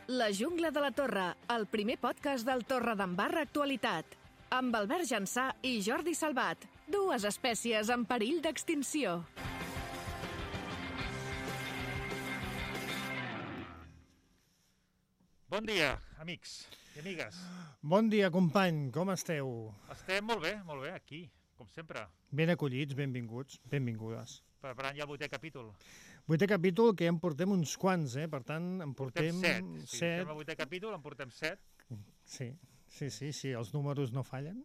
La jungla de la Torre, el primer podcast del Torredembarra Actualitat. Amb Albert Jansà i Jordi Salvat, dues espècies en perill d'extinció. Bon dia, amics i amigues. Bon dia, company, com esteu? Estem molt bé, aquí, com sempre. Ben acollits, benvinguts, benvingudes. Preparant ja el 8è capítol. 8è capítol, que ja en portem uns quants, Per tant, en portem 7. Si estem al 8è capítol, en portem 7. Sí, els números no fallen.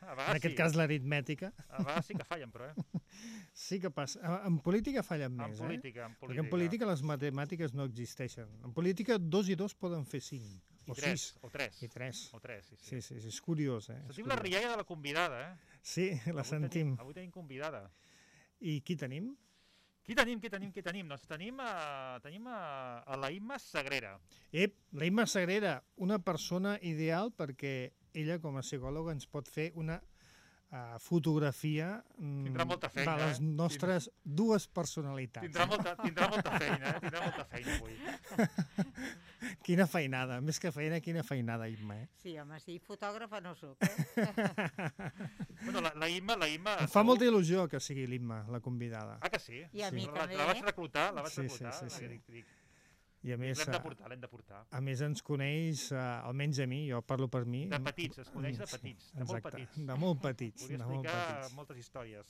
En aquest cas, l'aritmètica. A vegades sí que fallen, però, Sí que passa. En política fallen més, En política. Perquè en política les matemàtiques no existeixen. En política 2 i 2 poden fer 5. I 3, o 3. I 3. O 3, sí. Sí, és curiós, Sentim la rialla de la convidada, Sí, la sentim. Avui tenim convidada. I qui tenim? Qui tenim? Doncs tenim a la Imma Sagrera. La Imma Sagrera, una persona ideal perquè ella, com a psicòloga, ens pot fer una fotografia feina, de les nostres dues personalitats. Tindrà molta feina avui. Quina feinada, més que feina, quina feinada, Imma, Sí, home, sí, fotògrafa no soc, Bueno, la Imma... Em fa molta il·lusió que sigui l'Imma, la convidada. Ah, que sí? I a mi també. La vaig reclutar, Sí. I a més, l'hem de portar. A més, ens coneix, almenys a mi, jo parlo per mi... De petits, es coneix de petits, de molt petits. De molt petits. Podria explicar moltes històries.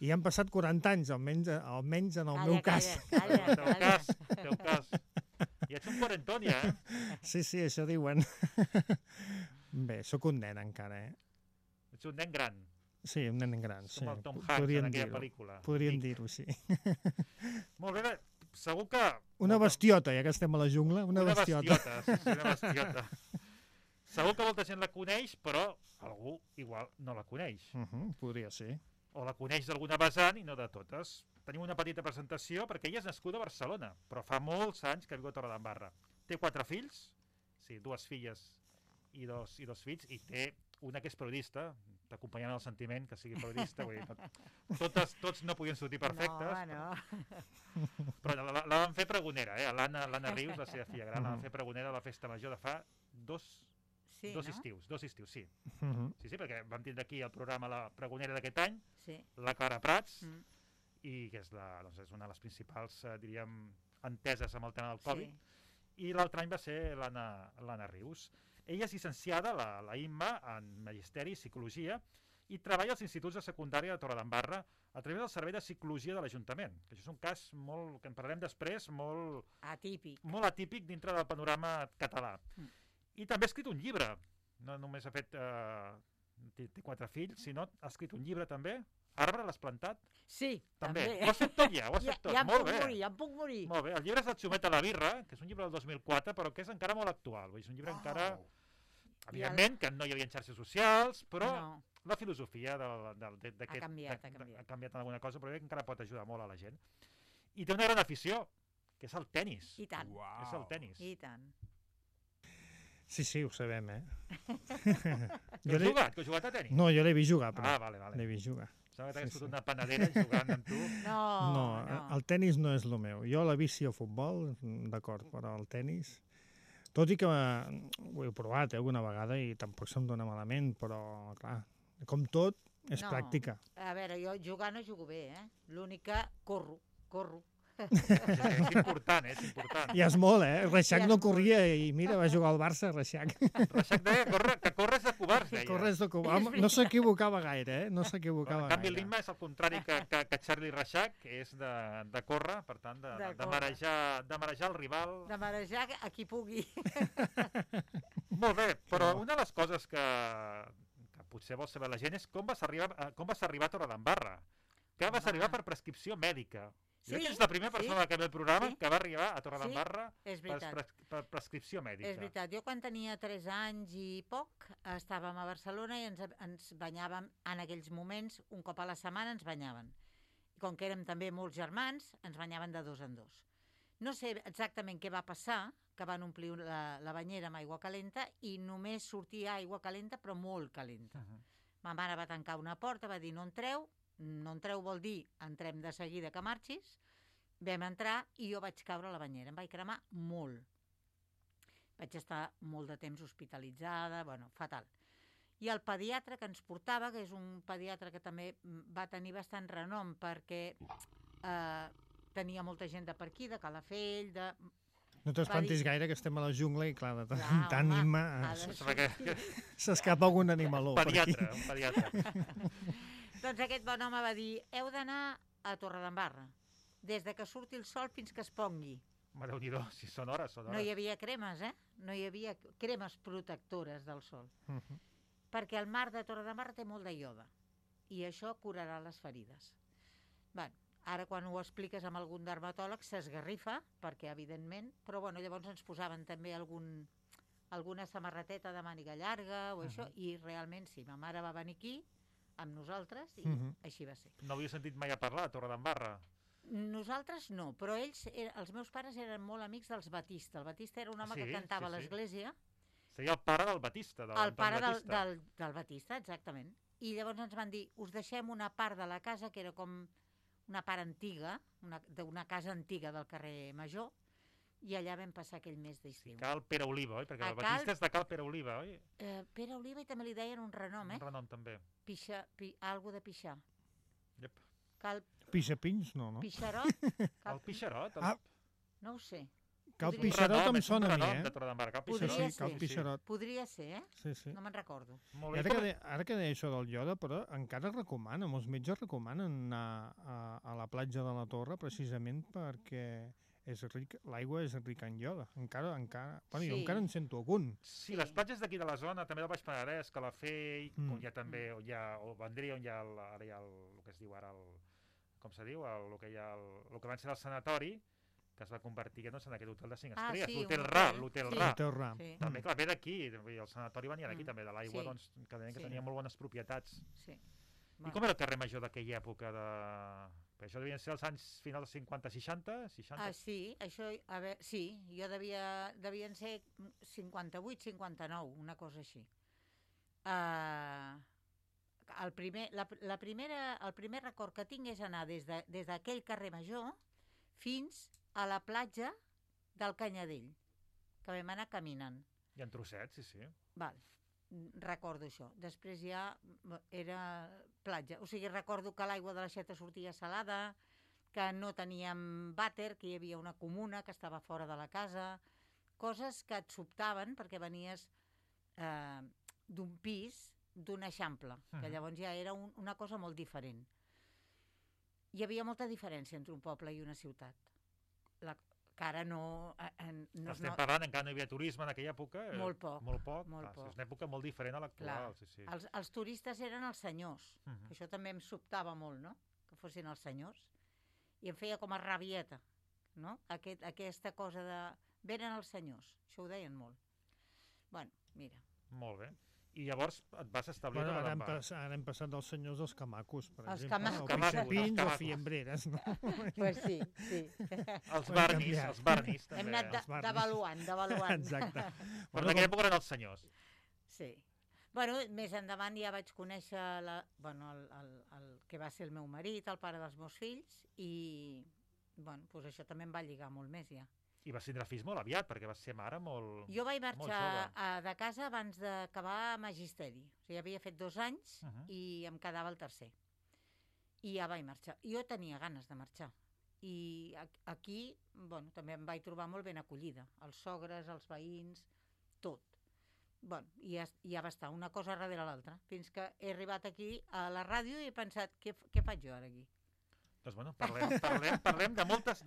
I han passat 40 anys, almenys en el meu cas. Calla. Teu cas. Ja ets un quarantón, ja, Sí, això diuen. Bé, sóc un nen encara, Ets un nen gran. Sí, un nen gran, sí. Com el Tom Hanks en aquella pel·lícula. Podríem dir-ho, sí. Molt bé, segur que... Una bestiota, ja que estem a la jungla, una bestiota. Una bestiota. Segur que molta gent la coneix, però algú igual no la coneix. Podria ser. O la coneix d'alguna vessant i no de totes. Tenim una petita presentació perquè ella és nascuda a Barcelona, però fa molts anys que viu a Torredembarra. Té 4 fills, 2 filles i dos fills, i té una que és periodista, t'acompanyant el sentiment que sigui periodista, vull dir, tots no podien sortir perfectes. No. Però la van fer pregonera, l'Anna Rius, la seva filla gran, la van fer pregonera a la festa major de fa dos estius, sí. Sí, perquè vam tindre aquí el programa La pregonera d'aquest any, la Clara Prats, i que és una de les principals, diríem, enteses amb el tema del Covid, i l'altre any va ser l'Anna Rius. Ella és llicenciada, la Imma, en Magisteri i Psicologia, i treballa als instituts de secundària de Torredembarra a través del Servei de Psicologia de l'Ajuntament. Això és un cas que en parlarem després, molt atípic dintre del panorama català. I també ha escrit un llibre. No només ha fet... té 4 fills, sinó ha escrit un llibre també. Arbre l'has plantat? Sí, també. també. Ho has fet tot ja, molt bé. Ja em puc morir. Molt bé, el llibre és El xumet a la birra, que és un llibre del 2004, però que és encara molt actual. És un llibre encara... Evidentment que no hi havia xarxes socials, però la filosofia d'aquest... Ha canviat en alguna cosa, però encara pot ajudar molt a la gent. I té una gran afició, que és el tenis. I tant. És el tenis. I tant. Sí, ho sabem, Que has jugat a tenis? No, jo l'he vist jugar, però... Vale. L'he vist jugar. Sembla que t'hagués fotut una panadera jugant amb tu. No, el tenis no és el meu. Jo la bici o futbol, d'acord, però el tenis... Tot i que ho he provat alguna vegada i tampoc se'm dona malament, però, clar, com tot, és pràctica. A veure, jo jugar no jugo bé, L'únic que corro. És important, és important. I és molt, Reixac no corria i mira, va jugar al Barça, Reixac. Reixac deia que corres de covards, deia. Corres de covards. No s'equivocava gaire, No s'equivocava gaire. En canvi, l'Imma és el contrari que Charlie Reixac, que és de córrer, per tant, de marejar el rival. De marejar a qui pugui. Molt bé, però una de les coses que potser vol saber la gent és com vas arribar a Torredembarra. Que vas arribar per prescripció mèdica. Jo crec que és la primera persona que ve al programa que va arribar a Torredembarra per prescripció mèdica. És veritat. Jo quan tenia 3 anys i poc estàvem a Barcelona i ens banyàvem en aquells moments, un cop a la setmana ens banyaven. I com que érem també molts germans, ens banyaven de 2 en 2. No sé exactament què va passar, que van omplir la banyera amb aigua calenta i només sortia aigua calenta, però molt calenta. Ma mare va tancar una porta, va dir no entreu vol dir entrem de seguida que marxis. Vam entrar i jo vaig caure a la banyera, em vaig cremar molt. Vaig estar molt de temps hospitalitzada, bueno, fatal. I el pediatre que ens portava, que és un pediatre que també va tenir bastant renom perquè tenia molta gent de per aquí, de Calafell, de... No t'espantis gaire, que estem a la jungla i, clar, de tant s'escapa algun animaló per aquí. Un pediatre. Doncs aquest bon home va dir, heu d'anar a Torredembarra, des de que surti el sol fins que es pongui. Déu-n'hi-do, si són hores, són hores. No hi havia cremes, No hi havia cremes protectores del sol. Perquè el mar de Torredembarra té molt de ioda i això curarà les ferides. Bueno, ara quan ho expliques amb algun dermatòleg s'esgarrifa, perquè evidentment, però bueno, llavors ens posaven també alguna samarreteta de màniga llarga o això, i realment sí, ma mare va venir aquí amb nosaltres i així va ser. No havia sentit mai a parlar a Torredembarra? Nosaltres no, però ells, els meus pares eren molt amics dels Batista. El Batista era un home que cantava a l'església. Seria el pare del Batista. El pare del Batista, exactament. I llavors ens van dir, us deixem una part de la casa que era com una part antiga, d'una casa antiga del carrer Major, i allà vam passar aquell mes d'estiu. Cal Pere Oliva, oi? Perquè el Batista és de Cal Pere Oliva, oi? Pere Oliva, i també li deien un renom, Un renom, també. Algo de Pixar. Pixapins, no? Pixarot? El Pixarot? No ho sé. Cal Pixarot em sona a mi, Cal Pixarot. Podria ser, Sí. No me'n recordo. Ara que deia això del ioda, però encara recomana, molts metges recomanen anar a la platja de la Torre precisament perquè l'aigua és rica en ioda. Encara, bueno, jo encara en sento algun. Sí, les platges d'aquí de la zona, també del Baix Penedès, Calafell, on hi ha també, o Vendria, on hi ha el que es diu ara, com se diu, el que va ser el sanatori, que es va convertir en aquest hotel de 5 estrelles, l'Hotel Ra. També, clar, ve d'aquí, el sanatori venia d'aquí també, de l'aigua, que tenia molt bones propietats. I com era el carrer Major d'aquella època? Això devien ser els anys finals dels 50-60? Sí, això, jo devien ser 58-59, una cosa així. El primer record que tinc és anar des d'aquell carrer Major fins a la platja del Canyadell, que vam anar caminant. I en trossets, sí. Val, recordo això. Després ja era platja. O sigui, recordo que l'aigua de l'aixeta sortia salada, que no teníem vàter, que hi havia una comuna que estava fora de la casa, coses que et sobtaven perquè venies d'un pis, d'un eixample, que llavors ja era una cosa molt diferent. Hi havia molta diferència entre un poble i una ciutat. Que ara no... Estem parlant, encara no hi havia turisme en aquella època. Molt poc. És una època molt diferent a l'actual. Els turistes eren els senyors, que això també em sobtava molt, no? Que fossin els senyors. I em feia com a rabieta, no? Aquesta cosa de... Venen els senyors, això ho deien molt. Bueno, mira. Molt bé. I llavors et vas establir... Ara hem passat dels senyors als camacos, per exemple. Els pixapins o fiembreres, no? Pues sí. Els barnis, també. Hem anat devaluant. Exacte. Però en aquella època eren els senyors. Sí. Bueno, més endavant ja vaig conèixer el que va ser el meu marit, el pare dels meus fills, i bueno, pues això també em va lligar molt més ja. I vas tindre fills molt aviat, perquè vas ser mare molt... Jo vaig marxar de casa abans d'acabar magisteri. O sigui, havia fet 2 anys i em quedava el tercer. I ja vaig marxar. Jo tenia ganes de marxar. I aquí, bueno, també em vaig trobar molt ben acollida. Els sogres, els veïns, tot. Bueno, i ja va estar una cosa darrere l'altra. Fins que he arribat aquí a la ràdio i he pensat, què faig jo ara aquí? Doncs bueno, parlem de moltes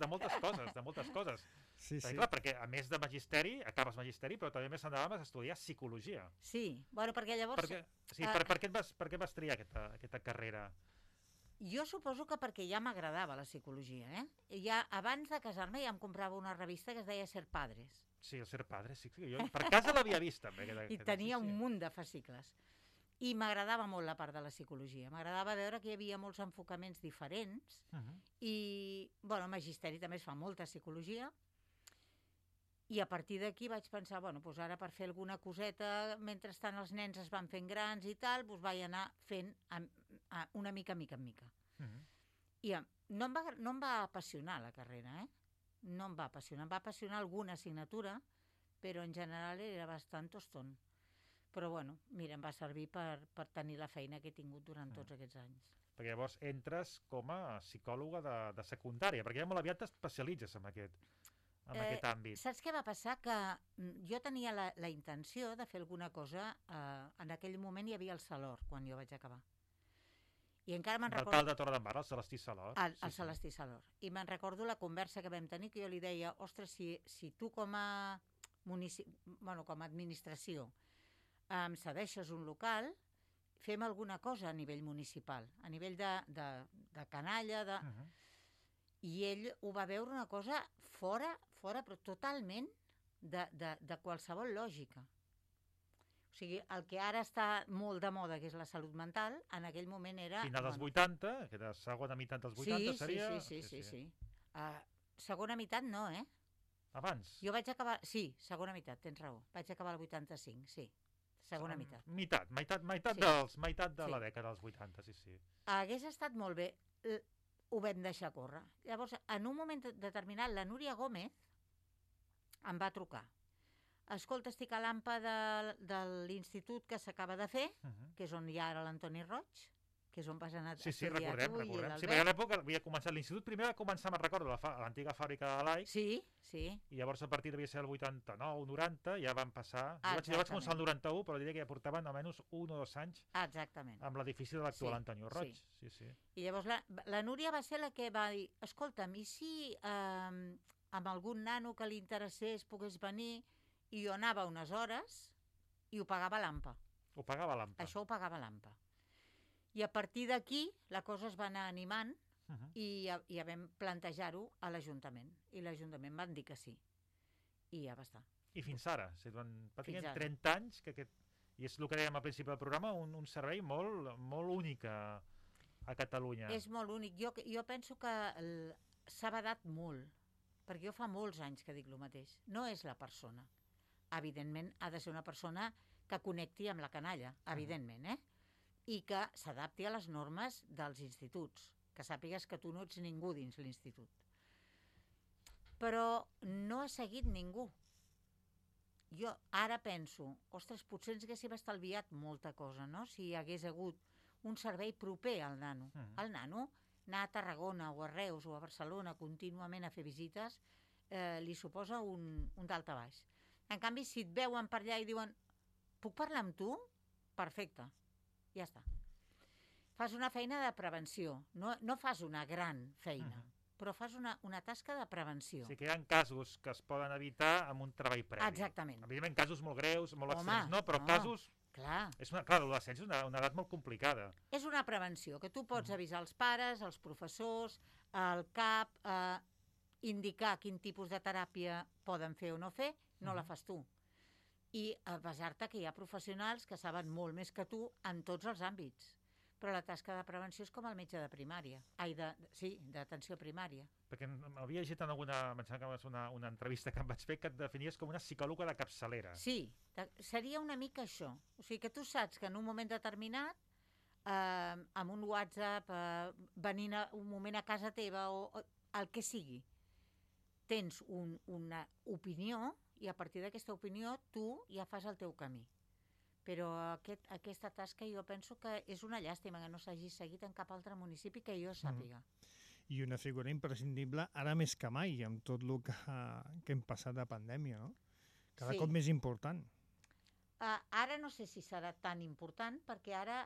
coses. Sí. Clar, perquè a més de magisteri, acabes magisteri, però també més endavant vas estudiar psicologia. Sí, bueno, perquè llavors... Per què vas triar aquesta carrera? Jo suposo que perquè ja m'agradava la psicologia, Ja, abans de casar-me ja em comprava una revista que es deia Ser Padres. Sí, el Ser Padres, sí. Jo per casa l'havia vist, també. I tenia un munt de fascicles. I m'agradava molt la part de la psicologia. M'agradava veure que hi havia molts enfocaments diferents i, bueno, a magisteri també es fa molta psicologia. I a partir d'aquí vaig pensar, bueno, doncs ara per fer alguna coseta, mentrestant els nens es van fent grans i tal, doncs vaig anar fent una mica en mica. I no em va apassionar la carrera, No em va apassionar. Em va apassionar alguna assignatura, però en general era bastant toston. Però bueno, mira, em va servir per tenir la feina que he tingut durant tots aquests anys. Perquè llavors entres com a psicòloga de secundària, perquè ja molt aviat t'especialitzes en aquest àmbit. Saps què va passar? Que jo tenia la intenció de fer alguna cosa, en aquell moment hi havia el Salor, quan jo vaig acabar. I encara me'n recordo... L'alcalde de Torredembarra, el Celestí Salor. El Celestí Salor. I me'n recordo la conversa que vam tenir, que jo li deia, ostres, si tu com a administració em cedeixes un local, fem alguna cosa a nivell municipal, a nivell de canalla, I ell ho va veure una cosa fora, però totalment de qualsevol lògica. O sigui, el que ara està molt de moda, que és la salut mental, en aquell moment era... Final dels 80, que era segona meitat dels 80, seria... Sí. Segona meitat no, Abans? Jo vaig acabar... Sí, segona meitat, tens raó. Vaig acabar el 85, sí. Segona meitat. Meitat de la dècada dels 80, sí. Hagués estat molt bé. Ho vam deixar córrer. Llavors, en un moment determinat, la Núria Gómez em va trucar. Escolta, estic a l'AMPA de l'institut que s'acaba de fer, que és on hi ha ara l'Antoni Roig, que és on vas anar a estudiar. Sí, recordem. Sí, perquè a l'època havia començat l'institut, primer va començar, me'n recordo, l'antiga fàbrica de l'AIC. Sí. I llavors a partir devia ser el 89, 90, ja van passar... Jo vaig començar el 91, però diria que ja portaven almenys 1 o 2 anys amb l'edifici de l'actual Antonio Roig. Sí. I llavors la Núria va ser la que va dir, escolta'm, i si amb algun nano que li interessés pogués venir... I jo anava unes hores i ho pagava l'AMPA. Això ho pagava l'AMPA. I a partir d'aquí la cosa es va anar animant i ja vam plantejar-ho a l'Ajuntament. I l'Ajuntament van dir que sí. I ja va estar. I fins ara? Pràcticament 30 anys, i és el que dèiem al principi del programa, un servei molt únic a Catalunya. És molt únic. Jo penso que s'ha badat molt, perquè jo fa molts anys que dic el mateix. No és la persona. Evidentment, ha de ser una persona que connecti amb la canalla, evidentment, i que s'adapti a les normes dels instituts, que sàpigues que tu no ets ningú dins l'institut. Però no ha seguit ningú. Jo ara penso, ostres, potser ens haguéssim estalviat molta cosa, no?, si hi hagués hagut un servei proper al nano. El nano, anar a Tarragona o a Reus o a Barcelona contínuament a fer visites, li suposa un dalt a baix. En canvi, si et veuen per allà i diuen puc parlar amb tu? Perfecte, ja està. Fas una feina de prevenció, no fas una gran feina, però fas una tasca de prevenció. Sí que hi ha casos que es poden evitar amb un treball previ. Exactament. Evidentment, casos molt greus, molt extrems, no, però casos... Clar, l'adolescència és una edat molt complicada. És una prevenció, que tu pots avisar els pares, els professors, el CAP, indicar quin tipus de teràpia poden fer o no fer, no la fas tu. I basar-te que hi ha professionals que saben molt més que tu en tots els àmbits. Però la tasca de prevenció és com el metge de primària. D'atenció primària. Perquè havia llegit en alguna... Em sembla que va ser una entrevista que em vaig fer que et definies com una psicòloga de capçalera. Sí, seria una mica això. O sigui que tu saps que en un moment determinat, amb un WhatsApp, venint un moment a casa teva o el que sigui, tens una opinió i a partir d'aquesta opinió tu ja fas el teu camí. Però aquesta tasca jo penso que és una llàstima que no s'hagi seguit en cap altre municipi que jo sàpiga. I una figura imprescindible ara més que mai, amb tot el que hem passat de pandèmia, no? Cada cop més important. Ara no sé si serà tan important perquè ara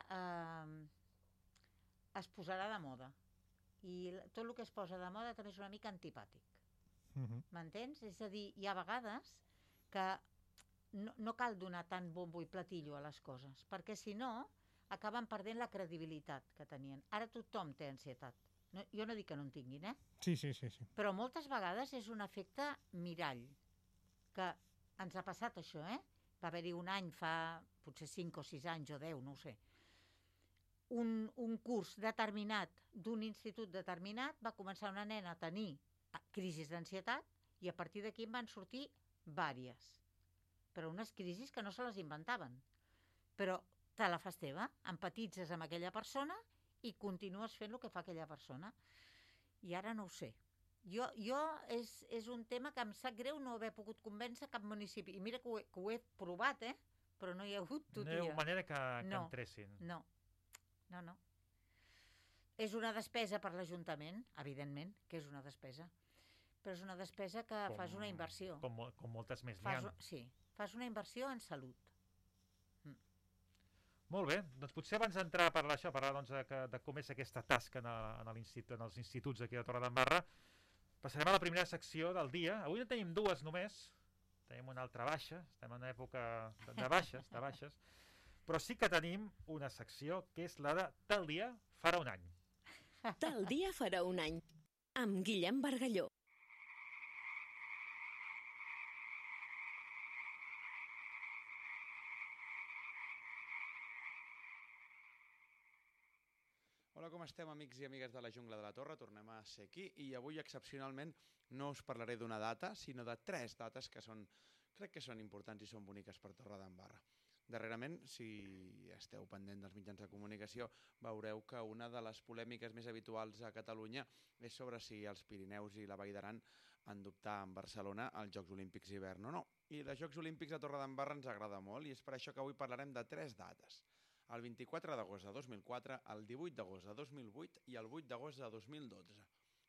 es posarà de moda. I tot el que es posa de moda també és una mica antipàtic. M'entens? És a dir, hi ha vegades que no cal donar tant bombo i platillo a les coses, perquè si no acaben perdent la credibilitat que tenien. Ara tothom té ansietat. Jo no dic que no en tinguin, Sí. Però moltes vegades és un efecte mirall, que ens ha passat això, Va haver-hi un any fa potser 5 o 6 anys o 10, no ho sé. Un curs determinat d'un institut determinat va començar una nena a tenir crisis d'ansietat i a partir d'aquí en van sortir vàries. Però unes crisis que no se les inventaven. Però te la fas teva, empatitzes amb aquella persona i continues fent el que fa aquella persona. I ara no ho sé. És un tema que em sap greu no haver pogut convèncer cap municipi. I mira que ho he provat, però no hi ha hagut tutoria. No hi ha manera que entressin. No. És una despesa per l'Ajuntament, evidentment, que és una despesa. Però és una despesa que fas una inversió. Com moltes més n'hi ha. Sí, fas una inversió en salut. Molt bé, doncs potser abans d'entrar a parlar de com és aquesta tasca en els instituts aquí de Torredembarra, passarem a la primera secció del dia. Avui en tenim dues només, tenim una altra baixa, estem en una època de baixes, però sí que tenim una secció que és la de Tal dia farà un any. Tal dia farà un any, amb Guillem Bargalló. Hola, com estem, amics i amigues de la Jungla de la Torre? Tornem a ser aquí i avui, excepcionalment, no us parlaré d'una data, sinó de 3 dates que crec que són importants i són boniques per Torredembarra. Darrerament, si esteu pendent dels mitjans de comunicació, veureu que una de les polèmiques més habituals a Catalunya és sobre si els Pirineus i la Vall d'Aran han d'optar en Barcelona als Jocs Olímpics d'hivern o no. I els Jocs Olímpics de Torredembarra ens agrada molt i és per això que avui parlarem de 3 dates. El 24 d'agost de 2004, el 18 d'agost de 2008 i el 8 d'agost de 2012.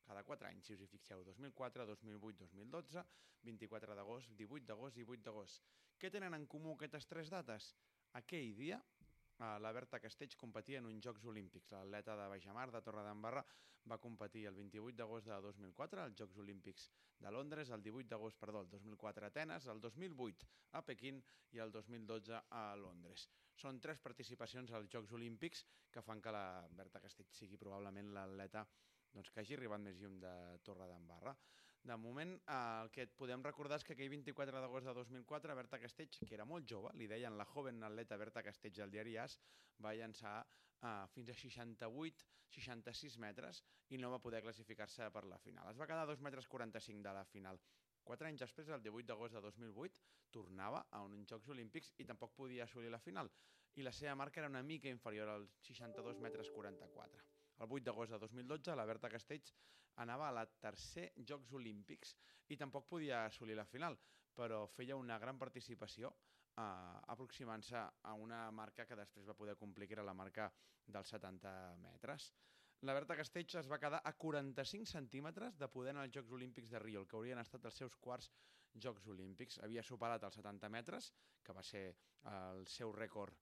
Cada 4 anys, si us hi fixeu, 2004, 2008, 2012, 24 d'agost, 18 d'agost i 8 d'agost. Què tenen en comú aquestes 3 dates? Aquell dia, la Berta Castells competia en uns Jocs Olímpics. L'atleta de Baixamar, de Torredembarra, va competir el 28 d'agost de 2004 als Jocs Olímpics de Londres, el 18 d'agost, el 2004 a Atenes, el 2008 a Pequín i el 2012 a Londres. Són 3 participacions als Jocs Olímpics que fan que la Berta Castells sigui probablement l'atleta que hagi arribat més lluny de Torredembarra. De moment, el que podem recordar és que aquell 24 d'agost de 2004, Berta Castells, que era molt jove, li deien la joven atleta Berta Castells al diari AS, va llançar fins a 66 metres i no va poder classificar-se per la final. Es va quedar a 2,45 metres de la final. 4 anys després, el 18 d'agost de 2008, tornava a uns Jocs Olímpics i tampoc podia assolir la final. I la seva marca era una mica inferior als 62,44 metres. El 8 d'agost de 2012, la Berta Castells anava a la tercer Jocs Olímpics i tampoc podia assolir la final, però feia una gran participació aproximant-se a una marca que després va poder complir, que era la marca dels 70 metres. La Berta Castells es va quedar a 45 centímetres de poder anar als Jocs Olímpics de Rio, el que haurien estat els seus quarts Jocs Olímpics. Havia superat els 70 metres, que va ser el seu rècord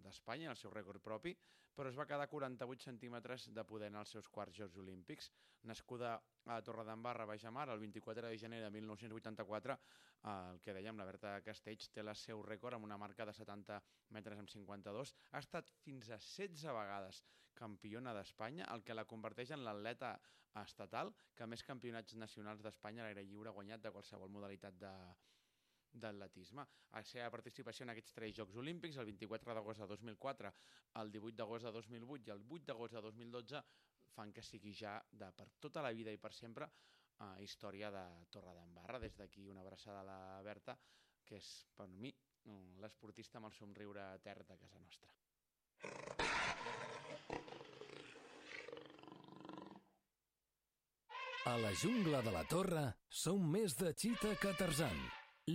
d'Espanya, el seu rècord propi, però es va quedar a 48 centímetres de poder anar als seus quarts Jocs Olímpics. Nascuda a Torredembarra, Baixamar, el 24 de gener de 1984, el que dèiem, la Berta Castells té el seu rècord amb una marca de 70 metres amb 52. Ha estat fins a 16 vegades campiona d'Espanya, el que la converteix en l'atleta estatal que més campionats nacionals d'Espanya a l'aire lliure ha guanyat de qualsevol modalitat d'atletisme. La seva participació en aquests 3 Jocs Olímpics, el 24 d'agost de 2004, el 18 d'agost de 2008 i el 8 d'agost de 2012, fan que sigui ja per tota la vida i per sempre història de Torredembarra. Des d'aquí una abraçada a la Berta, que és per mi l'esportista amb el somriure etern de casa nostra. A la Jungla de la Torre som més de Chita que Tarzan.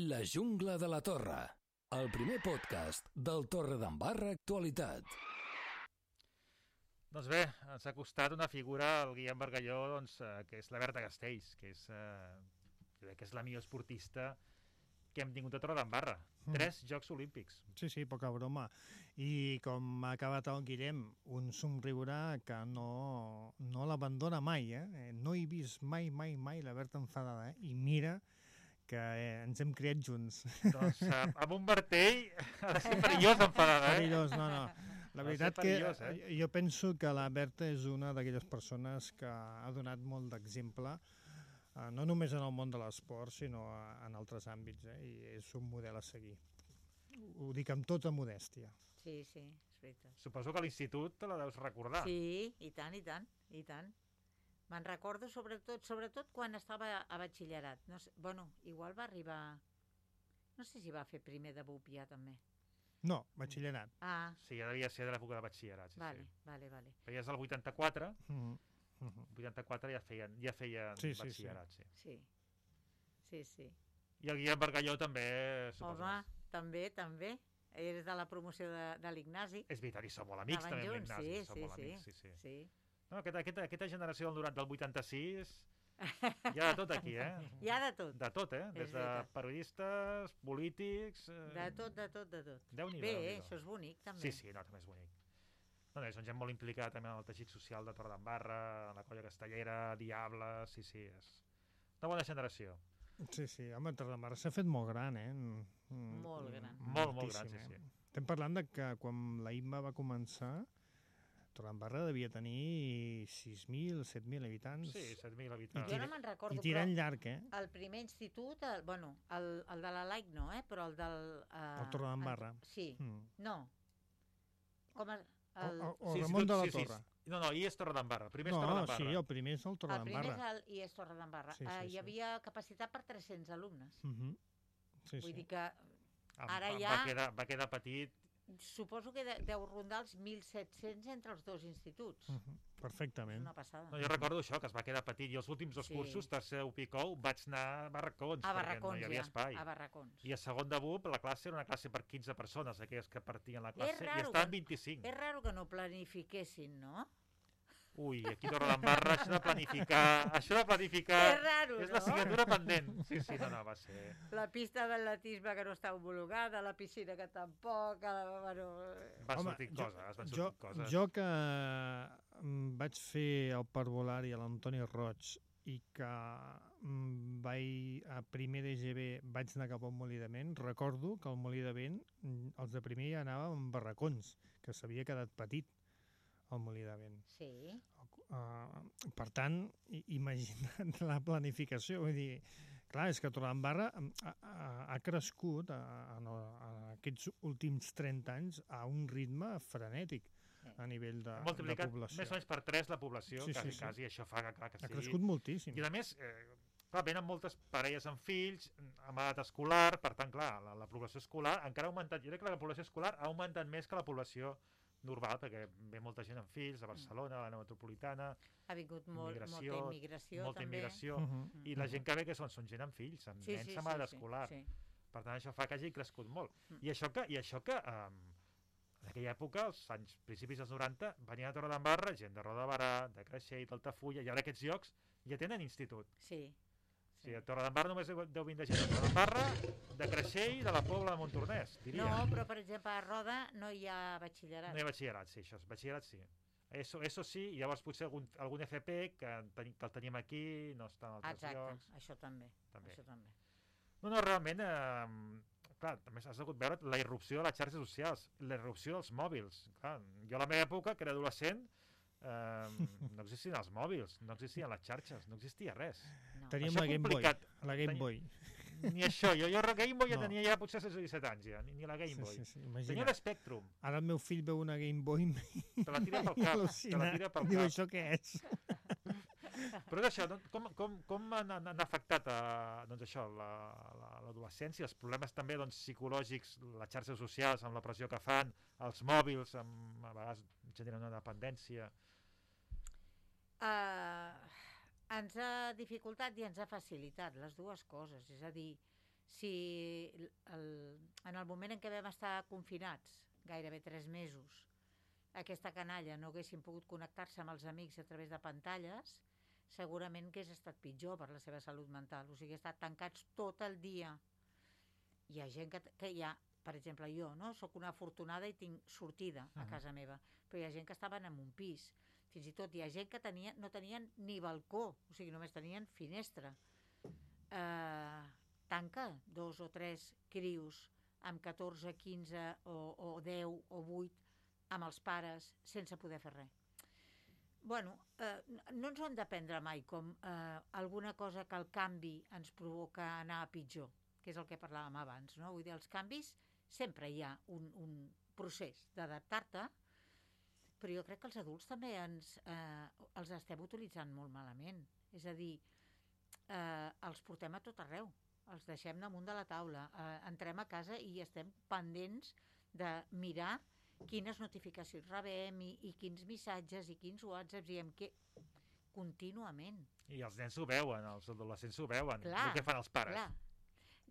La Jungla de la Torre, el primer podcast del Torredembarra Actualitat. Doncs bé, ens ha costat una figura, el Guillem Bargalló, que és la Berta Castells, que és la millor esportista que hem tingut a Torredembarra. 3 Jocs Olímpics. Sí, poca broma. I com ha acabat el Guillem, un somriure que no l'abandona mai, No he vist mai la Berta enfadada, I mira que ens hem criat junts. Doncs amb un martell ha de ser perillós enfadada, Perillós, no. La veritat que jo penso que la Berta és una d'aquelles persones que ha donat molt d'exemple, no només en el món de l'esport, sinó en altres àmbits, I és un model a seguir. Ho dic amb tota modèstia. Sí, és veritat. Suposo que a l'institut te la deus recordar. Sí, i tant. Me'n recordo sobretot quan estava a batxillerat. No sé, igual va arribar... No sé si va fer primer de BUP ja també. No, batxillerat. Sí, ja devia ser de l'època de batxillerat. Vale. Però ja és el 84. 84 ja feien batxillerat, sí. Sí. I el Guillem Bargalló també, suposo. Home, també. És de la promoció de l'Ignasi. És veritat, i som molt amics també amb l'Ignasi. Sí. No, aquesta generació del 86, hi ha de tot aquí, Hi ha de tot. De tot, des de periodistes, polítics... De tot. Déu-n'hi-do. Bé, això és bonic, també. Sí, no, també és bonic. No, són gent molt implicada també en el teixit social de Torredembarra, en la colla castellera, Diables, sí, és una bona generació. Sí, home, Torredembarra s'ha fet molt gran, Molt gran. Molt gran, sí. Estem parlant de que quan la IMBA va començar, Torredembarra devia tenir 6.000, 7.000 habitants. Sí, 7.000 habitants. Jo no me'n recordo, I tirant llarg, El primer institut, el de la Laic no, però el del... El Torredembarra. Sí, no. Com o Ramon de la Torre. No, i és Torredembarra. Primer és Torredembarra. Sí, el primer és el Torredembarra. El primer és i és Torredembarra. Hi havia capacitat per 300 alumnes. Vull dir que ara ja... Va quedar petit. Suposo que deu rondar els 1.700 entre els dos instituts. Perfectament. És una passada. No, jo recordo això, que es va quedar petit. I els últims dos cursos, tercer u Picou, vaig anar a barracons, perquè no hi havia espai. A barracons. I a segon de BUP, la classe era una classe per 15 persones, aquelles que partien la classe, i estaven 25. És raro que no planifiquessin, no? Ui, aquí a Torredembarra, això de planificar... És raro, és l'assignatura pendent. Sí, no, va ser... La pista d'atletisme que no està homologada, la piscina que tampoc... Van sortir coses. Jo que vaig fer el parvulari a l'Antoni Roig i que a primer d'EGB vaig anar cap al Molí de Vent, recordo que al Molí de Vent els de primer ja anàvem amb barracons, que s'havia quedat petit al Molí de Vent. Sí. Per tant, imagina't la planificació. Vull dir, clar, és que Torredembarra ha crescut en aquests últims 30 anys a un ritme frenètic a nivell de població. Multiplicat més o menys per 3 la població, quasi, això fa que sigui... Ha crescut moltíssim. I a més, clar, venen moltes parelles amb fills, amb edat escolar, per tant, clar, la població escolar encara ha augmentat. Jo crec que la població escolar ha augmentat més que la població normal, perquè ve molta gent amb fills a Barcelona, a l'àrea metropolitana. Ha vingut molta immigració. Molta immigració. I la gent que ve, que són gent amb fills, amb nens amb edat escolar. Per tant, això fa que hagi crescut molt. I això que en aquella època, als principis dels 90, venien a Torredembarra gent de Roda de Barà, de Creixell, d'Altafulla, i ara aquests llocs ja tenen institut. Sí. Sí, a Torredembarra només deu vindre gent de Torredembarra, de Creixell i de la Pobla de Montornès, diria. No, però per exemple a Roda no hi ha batxillerat. No hi ha batxillerat, sí, això, batxillerat sí. Eso sí, llavors potser algun FP que el tenim aquí, no està en altres llocs. Exacte, això també. No, realment, clar, també has hagut veure la irrupció de les xarxes socials, la irrupció dels mòbils. Clar, jo a la meva època, que era adolescent, no existien els mòbils, no existien les xarxes, no existia res. Teníem la Game Boy. Ni això, jo Game Boy ja tenia ja potser 16 o 17 anys, ni la Game Boy. Tenia l'Spectrum. Ara el meu fill veu una Game Boy te la tira pel cap. Diu, això què és? Però això, com han afectat l'adolescència, els problemes també psicològics, les xarxes socials, amb la pressió que fan, els mòbils, a vegades generen una dependència? Ens ha dificultat i ens ha facilitat les dues coses. És a dir, si en el moment en què vam estar confinats, gairebé 3 mesos, aquesta canalla no haguessin pogut connectar-se amb els amics a través de pantalles, segurament que hagués estat pitjor per la seva salut mental. O sigui, estat tancats tot el dia. Hi ha gent que hi ha, per exemple, jo, no? Soc una afortunada i tinc sortida a casa meva, però hi ha gent que estaven en un pis. Fins i tot hi ha gent que no tenien ni balcó, o sigui, només tenien finestra. Tanca 2 o 3 crios amb 14, 15 o 10 o 8 amb els pares sense poder fer res. Bueno, no ens ho hem de prendre mai com alguna cosa que el canvi ens provoca anar a pitjor, que és el que parlàvem abans, no? Vull dir, els canvis sempre hi ha un procés d'adaptar-te, però jo crec que els adults també els estem utilitzant molt malament. És a dir, els portem a tot arreu, els deixem damunt de la taula, entrem a casa i estem pendents de mirar quines notificacions rebem i quins missatges i quins whatsapps i contínuament. I els nens ho veuen, els adolescents ho veuen, Clar, el que fan els pares. Clar.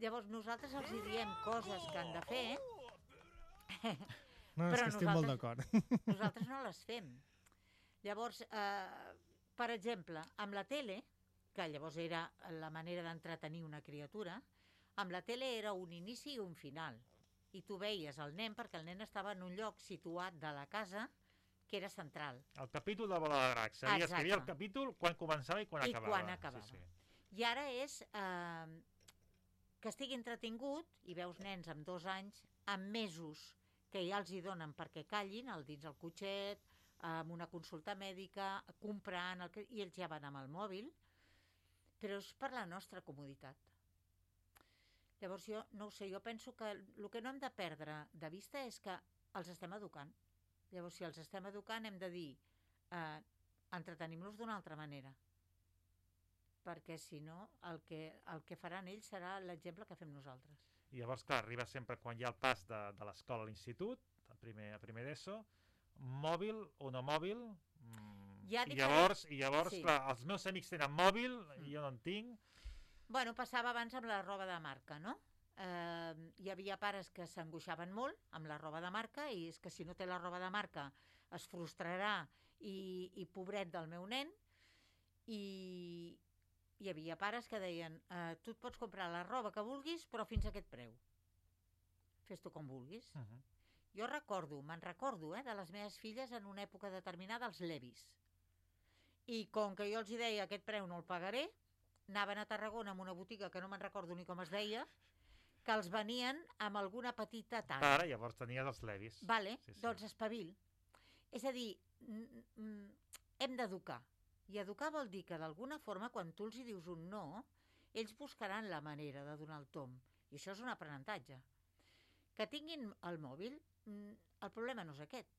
Llavors nosaltres els hi diem coses que han de fer, No, és però que estic molt d'acord. nosaltres no les fem. Llavors, per exemple, amb la tele, que llavors era la manera d'entretenir una criatura, amb la tele era un inici i un final. I tu veies el nen, perquè el nen estava en un lloc situat de la casa que era central. El capítol de Bola de Drac. Sabies que hi havia el capítol quan començava i quan acabava. I quan acabava. Sí. I ara és que estigui entretingut i veus nens amb 2 anys, amb mesos que ja els hi donen perquè callin, dins el cotxet, amb una consulta mèdica, comprant, i ells ja van amb el mòbil, però és per la nostra comoditat. Llavors jo, no ho sé, jo penso que el que no hem de perdre de vista és que els estem educant. Llavors, si els estem educant, hem de dir entretenim-los d'una altra manera. Perquè, si no, el que faran ells serà l'exemple que fem nosaltres. I llavors, clar, arriba sempre quan hi ha el pas de l'escola a l'institut, a primer d'ESO, mòbil o no mòbil, i llavors sí. Clar, els meus amics tenen mòbil, i jo no en tinc. Bueno, passava abans amb la roba de marca, no? Hi havia pares que s'angoixaven molt amb la roba de marca i és que si no té la roba de marca es frustrarà i pobret del meu nen, i hi havia pares que deien tu et pots comprar la roba que vulguis però fins a aquest preu, fes-t'ho com vulguis. Jo me'n recordo de les meves filles en una època determinada els Levis, i com que jo els deia aquest preu no el pagaré, anaven a Tarragona en una botiga que no me'n recordo ni com es deia, que els venien amb alguna petita talla. Ara, llavors tenies els Levis. Vale, sí. Doncs espavil. És a dir, hem d'educar. I educar vol dir que d'alguna forma, quan tu els hi dius un no, ells buscaran la manera de donar el tomb. I això és un aprenentatge. Que tinguin el mòbil, el problema no és aquest.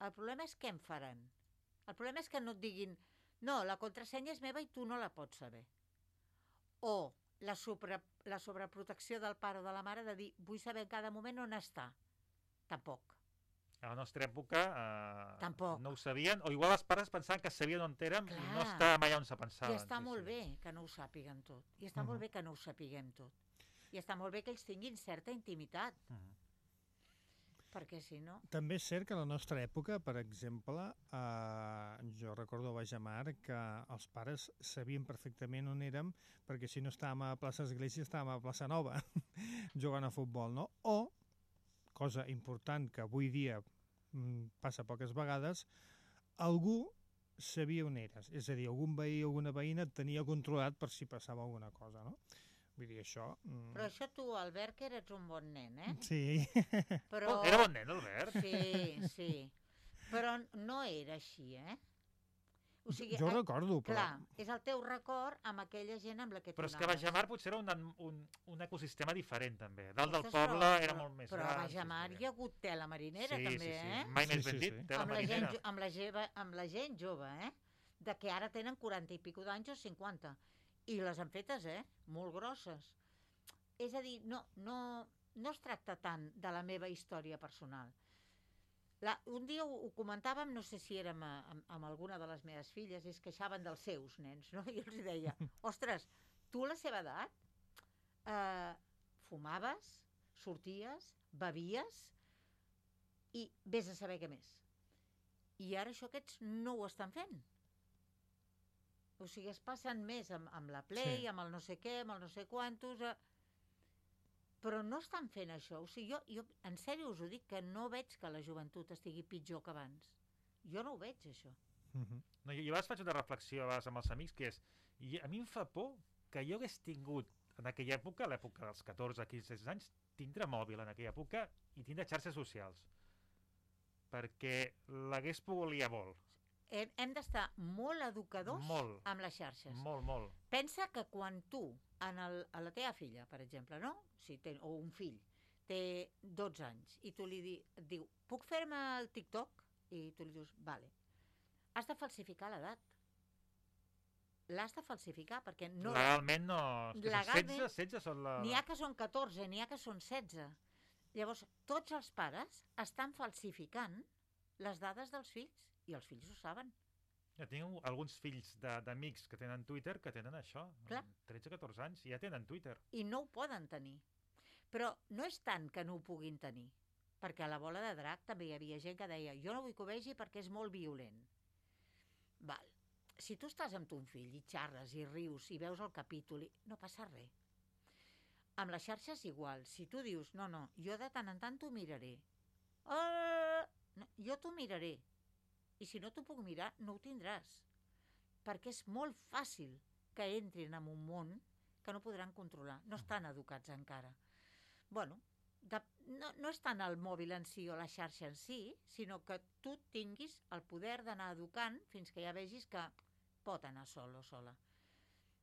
El problema és què en faran. El problema és que no et diguin no, la contrasenya és meva i tu no la pots saber. O la sobreprotecció del pare o de la mare de dir vull saber en cada moment on està. Tampoc. A la nostra època tampoc. No ho sabien, o igual els pares pensaven que sabien on érem i no estàvem allà on se pensaven. I està molt bé que no ho sàpiguen tot. I està molt bé que no ho sapiguem tot. I està molt bé que ells tinguin certa intimitat. Perquè si no... També és cert que a la nostra època, per exemple, jo recordo a Bajamar que els pares sabien perfectament on érem, perquè si no estàvem a plaça Església estàvem a plaça Nova jugant a futbol, no? O, cosa important que avui dia passa poques vegades, algú sabia on eres, és a dir, algun veí o alguna veïna et tenia controlat per si passava alguna cosa, no? Vull dir, això... Però això tu, Albert, que eres un bon nen, eh? Sí. Però... Era bon nen, Albert? Sí. Però no era així, eh? O sigui, jo recordo, però... Clar, és el teu record amb aquella gent amb la que tu anaves. Però és que anaves. Bajamar potser era un ecosistema diferent, també. Dalt del poble era molt més gran. Però a Bajamar hi ha hagut tela marinera, també, eh? Mai més ben dit, tela marinera. Amb la gent jove, eh? De que ara tenen 40 i pico d'anys o 50. I les han fetes, molt grosses. És a dir, no es tracta tant de la meva història personal. Un dia ho comentàvem, no sé si érem amb alguna de les meves filles, i es queixaven dels seus nens, no? I els deia, ostres, tu a la seva edat fumaves, sorties, bevies i vés a saber què més. I ara això aquests no ho estan fent. O sigui, es passen més amb la Play, amb el no sé què, amb el no sé quantos... Però no estan fent això. O sigui, jo en sèrio us ho dic, que no veig que la joventut estigui pitjor que abans. Jo no ho veig, això. No, jo a vegades faig una reflexió a vegades amb els amics, que és... A mi em fa por que jo hagués tingut en aquella època, l'època dels 14, 15, 16 anys, tindre mòbil en aquella època i tindre xarxes socials. Perquè l'hagués pogut liar molt. Hem d'estar molt educadors amb les xarxes. Molt. Pensa que quan tu, a la teva filla, per exemple, no? O un fill, té 12 anys, i tu li diu, puc fer-me el TikTok? I tu li dius, vale. Has de falsificar l'edat. L'has de falsificar, perquè no... Legalment no... Legalment, 16 són la... N'hi ha que són 14, n'hi ha que són 16. Llavors, tots els pares estan falsificant les dades dels fills, i els fills ho saben. Ja tinc alguns fills d'amics que tenen Twitter que tenen això, 13-14 anys, i ja tenen Twitter. I no ho poden tenir. Però no és tant que no ho puguin tenir, perquè a la Bola de Drac també hi havia gent que deia jo no vull que ho vegi perquè és molt violent. Val. Si tu estàs amb ton fill i xarres i rius i veus el capítol, no passa res. Amb les xarxes igual. Si tu dius, no, jo de tant en tant t'ho miraré. No, jo t'ho miraré. I si no t'ho puc mirar, no ho tindràs. Perquè és molt fàcil que entrin en un món que no podran controlar. No estan educats encara. Bueno, no és tant el mòbil en si o la xarxa en si, sinó que tu tinguis el poder d'anar educant fins que ja vegis que pot anar sol o sola.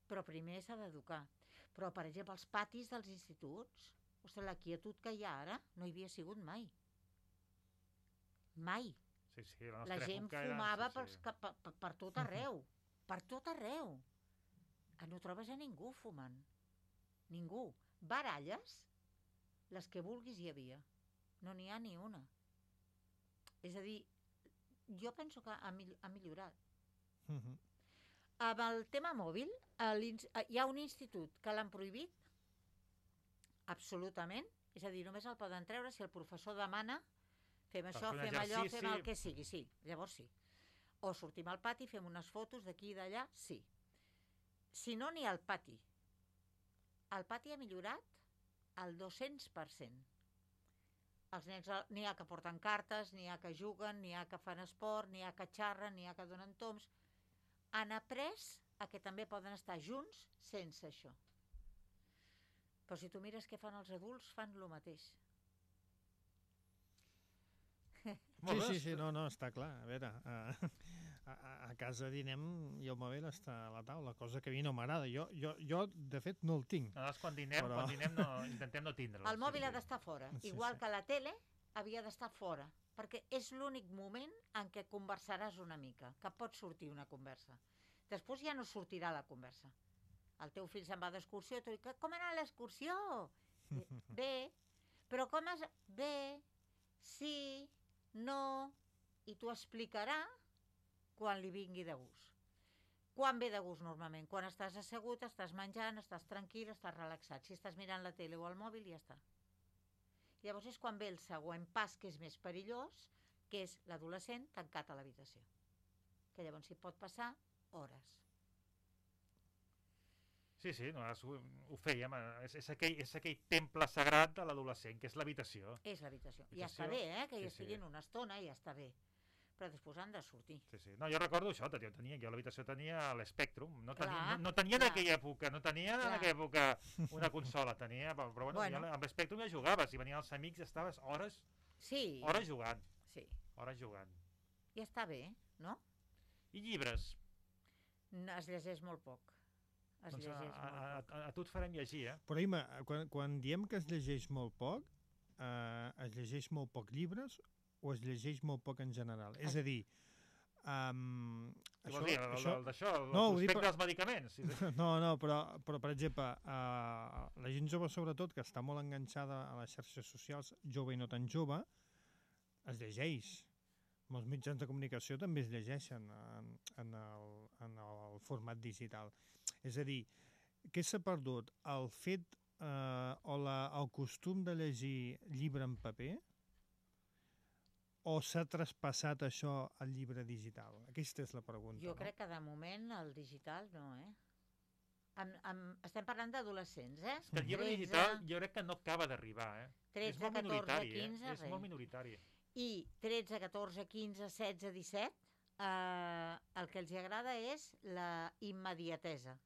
Però primer s'ha d'educar. Però, per exemple, els patis dels instituts, ostres, la quietud que hi ha ara no hi havia sigut mai. Mai. Sí, la gent fumava per tot arreu. Per tot arreu. No trobes a ningú fumant. Ningú. Baralles, les que vulguis hi havia. No n'hi ha ni una. És a dir, jo penso que ha millorat. Amb el tema mòbil, hi ha un institut que l'han prohibit absolutament, és a dir, només el poden treure si el professor demana fem això, fem allò, fem el que sigui, sí, llavors sí. O sortim al pati, fem unes fotos d'aquí i d'allà, sí. Si no, ni al pati. El pati ha millorat al 200%. Els nens n'hi ha que porten cartes, n'hi ha que juguen, n'hi ha que fan esport, n'hi ha que xerren, n'hi ha que donen toms. Han après a que també poden estar junts sense això. Però si tu mires què fan els adults, fan el mateix. Sí, no, està clar. A veure, a casa dinem i el mòbil està a la taula, cosa que a mi no m'agrada. Jo, de fet, no el tinc. Nosaltres quan dinem intentem no tindre'l. El mòbil ha d'estar fora, igual que la tele havia d'estar fora, perquè és l'únic moment en què conversaràs una mica, que pot sortir una conversa. Després ja no sortirà la conversa. El teu fill se'n va d'excursió i tu dius, com ha anat l'excursió? Bé, però com has... Bé, sí, no, i t'ho explicarà quan li vingui de gust. Quan ve de gust normalment? Quan estàs assegut, estàs menjant, estàs tranquil, estàs relaxat. Si estàs mirant la tele o el mòbil, ja està. Llavors és quan ve el següent pas, que és més perillós, que és l'adolescent tancat a l'habitació. Que llavors s'hi pot passar hores. Sí, ho fèiem. És aquell temple sagrat de l'adolescent, que és l'habitació. És l'habitació. I ja està bé, que hi estiguin una estona, ja està bé. Però després han de sortir. Sí. No, jo recordo això, jo a l'habitació tenia l'Spectrum. No tenia en aquella època una consola, tenia, però bueno, amb l'Spectrum ja jugaves, i venien els amics i estaves hores jugant. Sí. Hores jugant. Ja està bé, no? I llibres? Es llegeix molt poc. A tu et farem llegir, Però, Ima, quan diem que es llegeix molt poc, es llegeix molt poc llibres o es llegeix molt poc en general? És a dir... Què vols dir, d'això? Respecte als medicaments? No, però per exemple, la gent jove sobretot, que està molt enganxada a les xarxes socials, jove i no tan jove, es llegeix. Molts mitjans de comunicació també es llegeixen en el format digital. És a dir, què s'ha perdut? El fet o el costum de llegir llibre en paper o s'ha traspassat això al llibre digital? Aquesta és la pregunta. Jo crec que de moment el digital no, Estem parlant d'adolescents, Que el llibre digital jo crec que no acaba d'arribar, 13, 14, 15, és molt minoritari. I 13, 14, 15, 16, 17, el que els agrada és la immediatesa.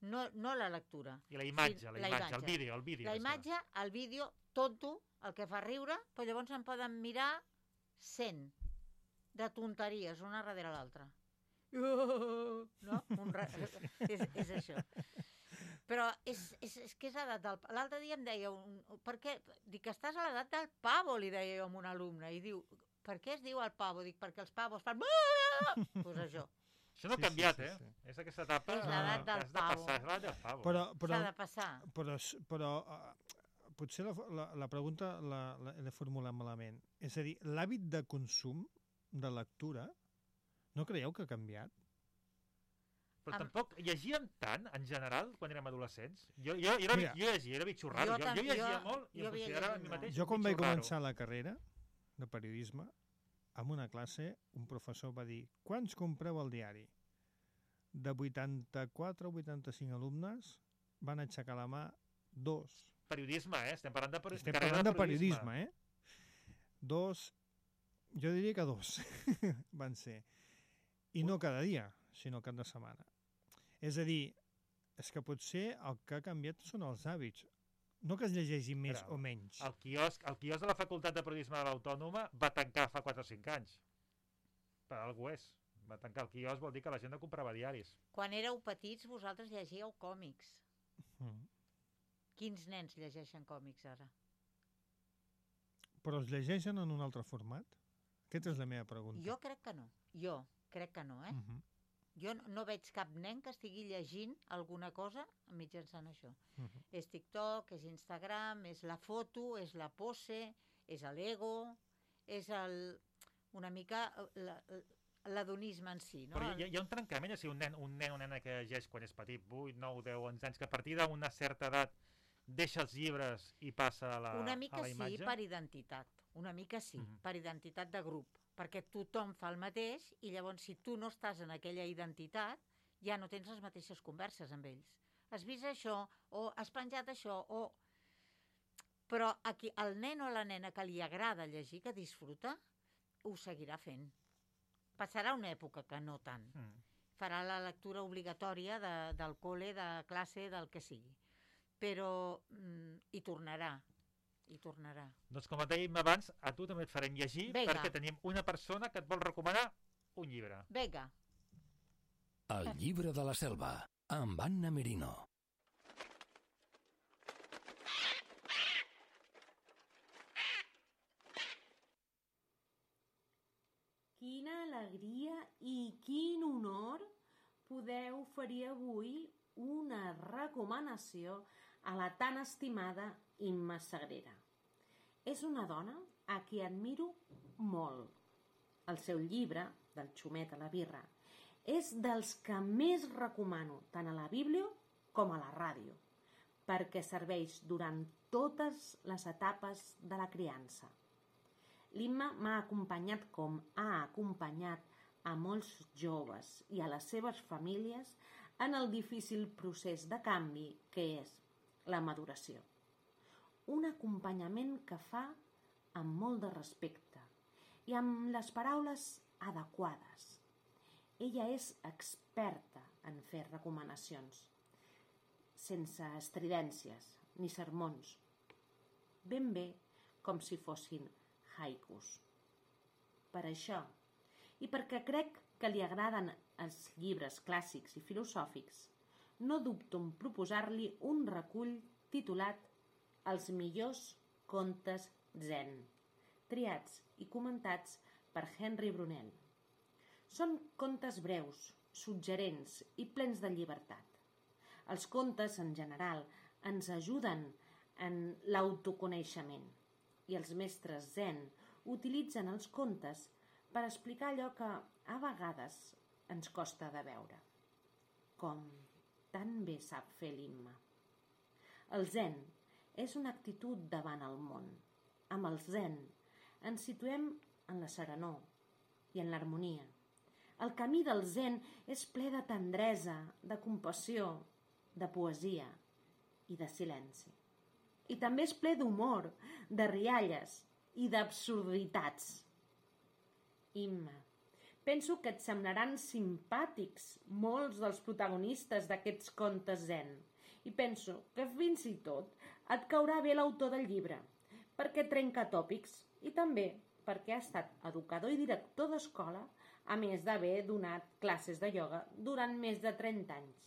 No la lectura. I la imatge, el vídeo. La imatge, el vídeo, tonto, el que fa riure, però llavors en poden mirar 100 de tonteries, una darrere l'altra. No? És això. Però és que és l'edat del... L'altre dia em deia... Per què? Dic que estàs a l'edat del pavo, li deia jo a un alumne. I diu, per què es diu el pavo? Dic, perquè els pavos fan... Doncs això. Això no ha canviat, És aquesta etapa... És l'edat del pavo. És l'edat del pavo. S'ha de passar. Però potser la pregunta l'he formulat malament. És a dir, l'hàbit de consum, de lectura, No creieu que ha canviat? Però tampoc llegíem tant, en general, quan érem adolescents. Jo era bitxo raro. Jo llegia molt i em considerava a mi mateix jo quan vaig començar la carrera de periodisme, en una classe, un professor va dir: quants compreu el diari? De 84 o 85 alumnes van aixecar la mà 2. Periodisme, Estem parlant de periodisme. Estem parlant de periodisme, 2, jo diria que 2 van ser. I no cada dia, sinó cap de setmana. És a dir, és que potser el que ha canviat són els hàbits. No que es llegeixi més o menys. El quiosc de la Facultat de Periodisme de l'Autònoma va tancar fa 4 o 5 anys. Per algú és. Va tancar el quiosc, vol dir que la gent no comprava diaris. Quan éreu petits, vosaltres llegíeu còmics. Quins nens llegeixen còmics ara? Però els llegeixen en un altre format? Aquesta és la meva pregunta. Jo crec que no. Jo no veig cap nen que estigui llegint alguna cosa mitjançant això. És TikTok, és Instagram, és la foto, és la pose, és l'ego, és una mica l'adonisme en si. No? Però hi ha un trencament, si un nen o nena que llegeix quan és petit, 8, 9, 10, 11 anys, que a partir d'una certa edat deixa els llibres i passa a la imatge? Una mica sí, per identitat. Una mica sí, per identitat de grup. Perquè tothom fa el mateix i llavors si tu no estàs en aquella identitat ja no tens les mateixes converses amb ells. Has vist això o has penjat això Però aquí el nen o la nena que li agrada llegir, que disfruta, ho seguirà fent. Passarà una època que no tant. Farà la lectura obligatòria del col·le, de classe, del que sigui. Però hi tornarà. Doncs com et dèiem abans, a tu també et farem llegir perquè tenim una persona que et vol recomanar un llibre. Vinga. El llibre de la selva, amb Anna Merino. Quina alegria i quin honor poder oferir avui una recomanació a la tan estimada Imma Sagrera. És una dona a qui admiro molt. El seu llibre, del xumet a la birra, és dels que més recomano tant a la Bíblia com a la ràdio, perquè serveix durant totes les etapes de la criança. L'Imma m'ha acompanyat com ha acompanyat a molts joves i a les seves famílies en el difícil procés de canvi que és la maduració. Un acompanyament que fa amb molt de respecte i amb les paraules adequades. Ella és experta en fer recomanacions, sense estridències ni sermons, ben bé com si fossin haikus. Per això, i perquè crec que li agraden els llibres clàssics i filosòfics, no dubto en proposar-li un recull titulat Els millors contes zen, triats i comentats per Henry Brunel. Són contes breus, suggerents i plens de llibertat. Els contes, en general, ens ajuden en l'autoconeixement i els mestres zen utilitzen els contes per explicar allò que a vegades ens costa de veure, com tan bé sap fer l'Imma. El zen és una actitud davant el món. Amb el zen ens situem en la serenor i en l'harmonia. El camí del zen és ple de tendresa, de compassió, de poesia i de silenci. I també és ple d'humor, de rialles i d'absurditats. Imma, penso que et semblaran simpàtics molts dels protagonistes d'aquests contes zen i penso que fins i tot et caurà bé l'autor del llibre, perquè trenca tòpics i també perquè ha estat educador i director d'escola, a més d'haver donat classes de ioga durant més de 30 anys.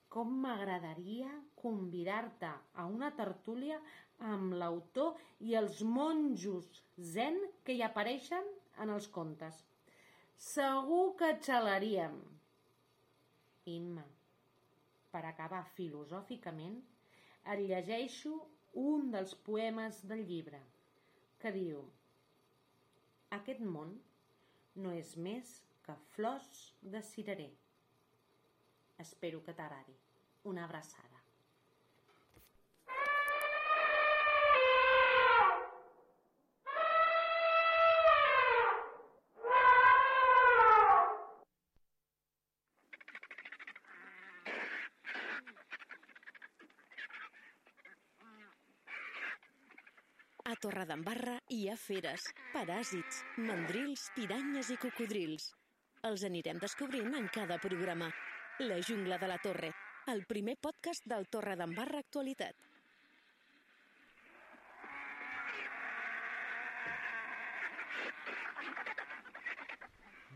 Com m'agradaria convidar-te a una tertúlia amb l'autor i els monjos zen que hi apareixen en els contes. Segur que xalaríem. Imma, per acabar filosòficament, et llegeixo un dels poemes del llibre, que diu: Aquest món no és més que Flors de cirerer. Espero que t'agradi. Una abraçada. A Torredembarra hi ha feres, paràsits, mandrils, piranyes i cocodrils. Els anirem descobrint en cada programa. La Jungla de la Torre, el primer podcast del Torredembarra Actualitat.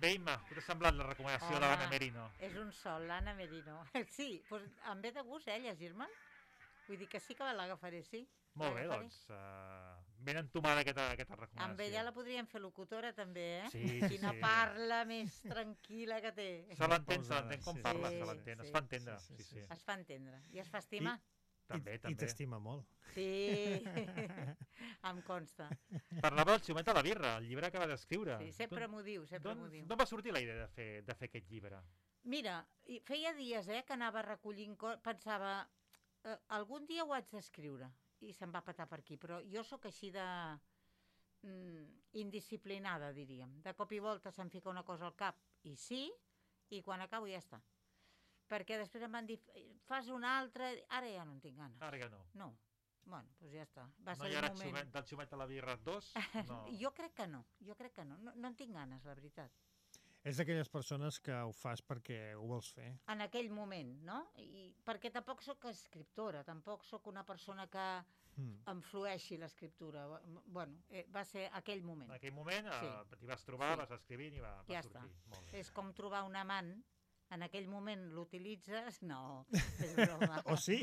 Bé, Imma, què t'ha semblat la recomanació de l'Anna Merino? És un sol, l'Anna Merino. Sí, doncs em ve de gust, llegir-me'l. Vull dir que sí que l'agafaré, sí. Molt bé, doncs, ben entomada aquesta recomanació. Amb ella la podríem fer locutora, també, eh? Sí, Quina parla més tranquil·la que té. Se l'entén com parla, se l'entén, es fa entendre. Es fa entendre. I es fa estimar. També. I t'estima molt. Sí, em consta. Parlava del Xumet a la birra, el llibre que va d'escriure. Sí, sempre m'ho diu, sempre m'ho diu. D'on va sortir la idea de fer aquest llibre? Mira, feia dies que anava recollint pensava, algun dia ho haig d'escriure, i se'm va petar per aquí, però jo sóc així de indisciplinada, diríem. De cop i volta se'm fica una cosa al cap, i sí, i quan acabo ja està. Perquè després em van dir, fas una altra, ara ja no en tinc ganes. Ara ja no. No, bueno, doncs ja està. No hi ha del Xumet a la birra 2? No. Jo crec que no, no en tinc ganes, la veritat. És d'aquelles persones que ho fas perquè ho vols fer. En aquell moment, no? I perquè tampoc sóc escriptora, tampoc sóc una persona que em flueixi l'escriptura. Bueno, va ser aquell moment. En aquell moment t'hi vas trobar, vas escrivint i va sortir. Està. És com trobar un amant. En aquell moment l'utilitzes? No, és broma. O sí?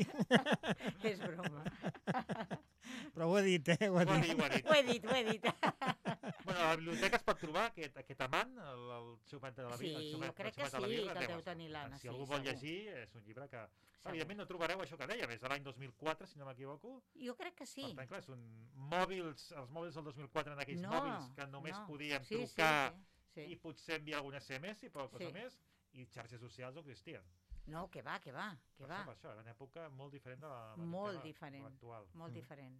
És broma. Però ho he dit, Ho he dit. Bueno, a la biblioteca es pot trobar aquest amant, el Xumet de la birra. Sí, jo crec que sí, que el deu tenir l'Anna. Si algú vol llegir, és un llibre que... Evidentment no trobareu això que deia, és de l'any 2004, si no m'equivoco. Jo crec que sí. Per tant, clar, són mòbils, els mòbils del 2004 en aquells mòbils que només podíem trucar i potser enviar algun SMS i poca cosa més. I xarxes socials no existien. No, que va. Per això, era una època molt diferent de l'actual. Molt diferent.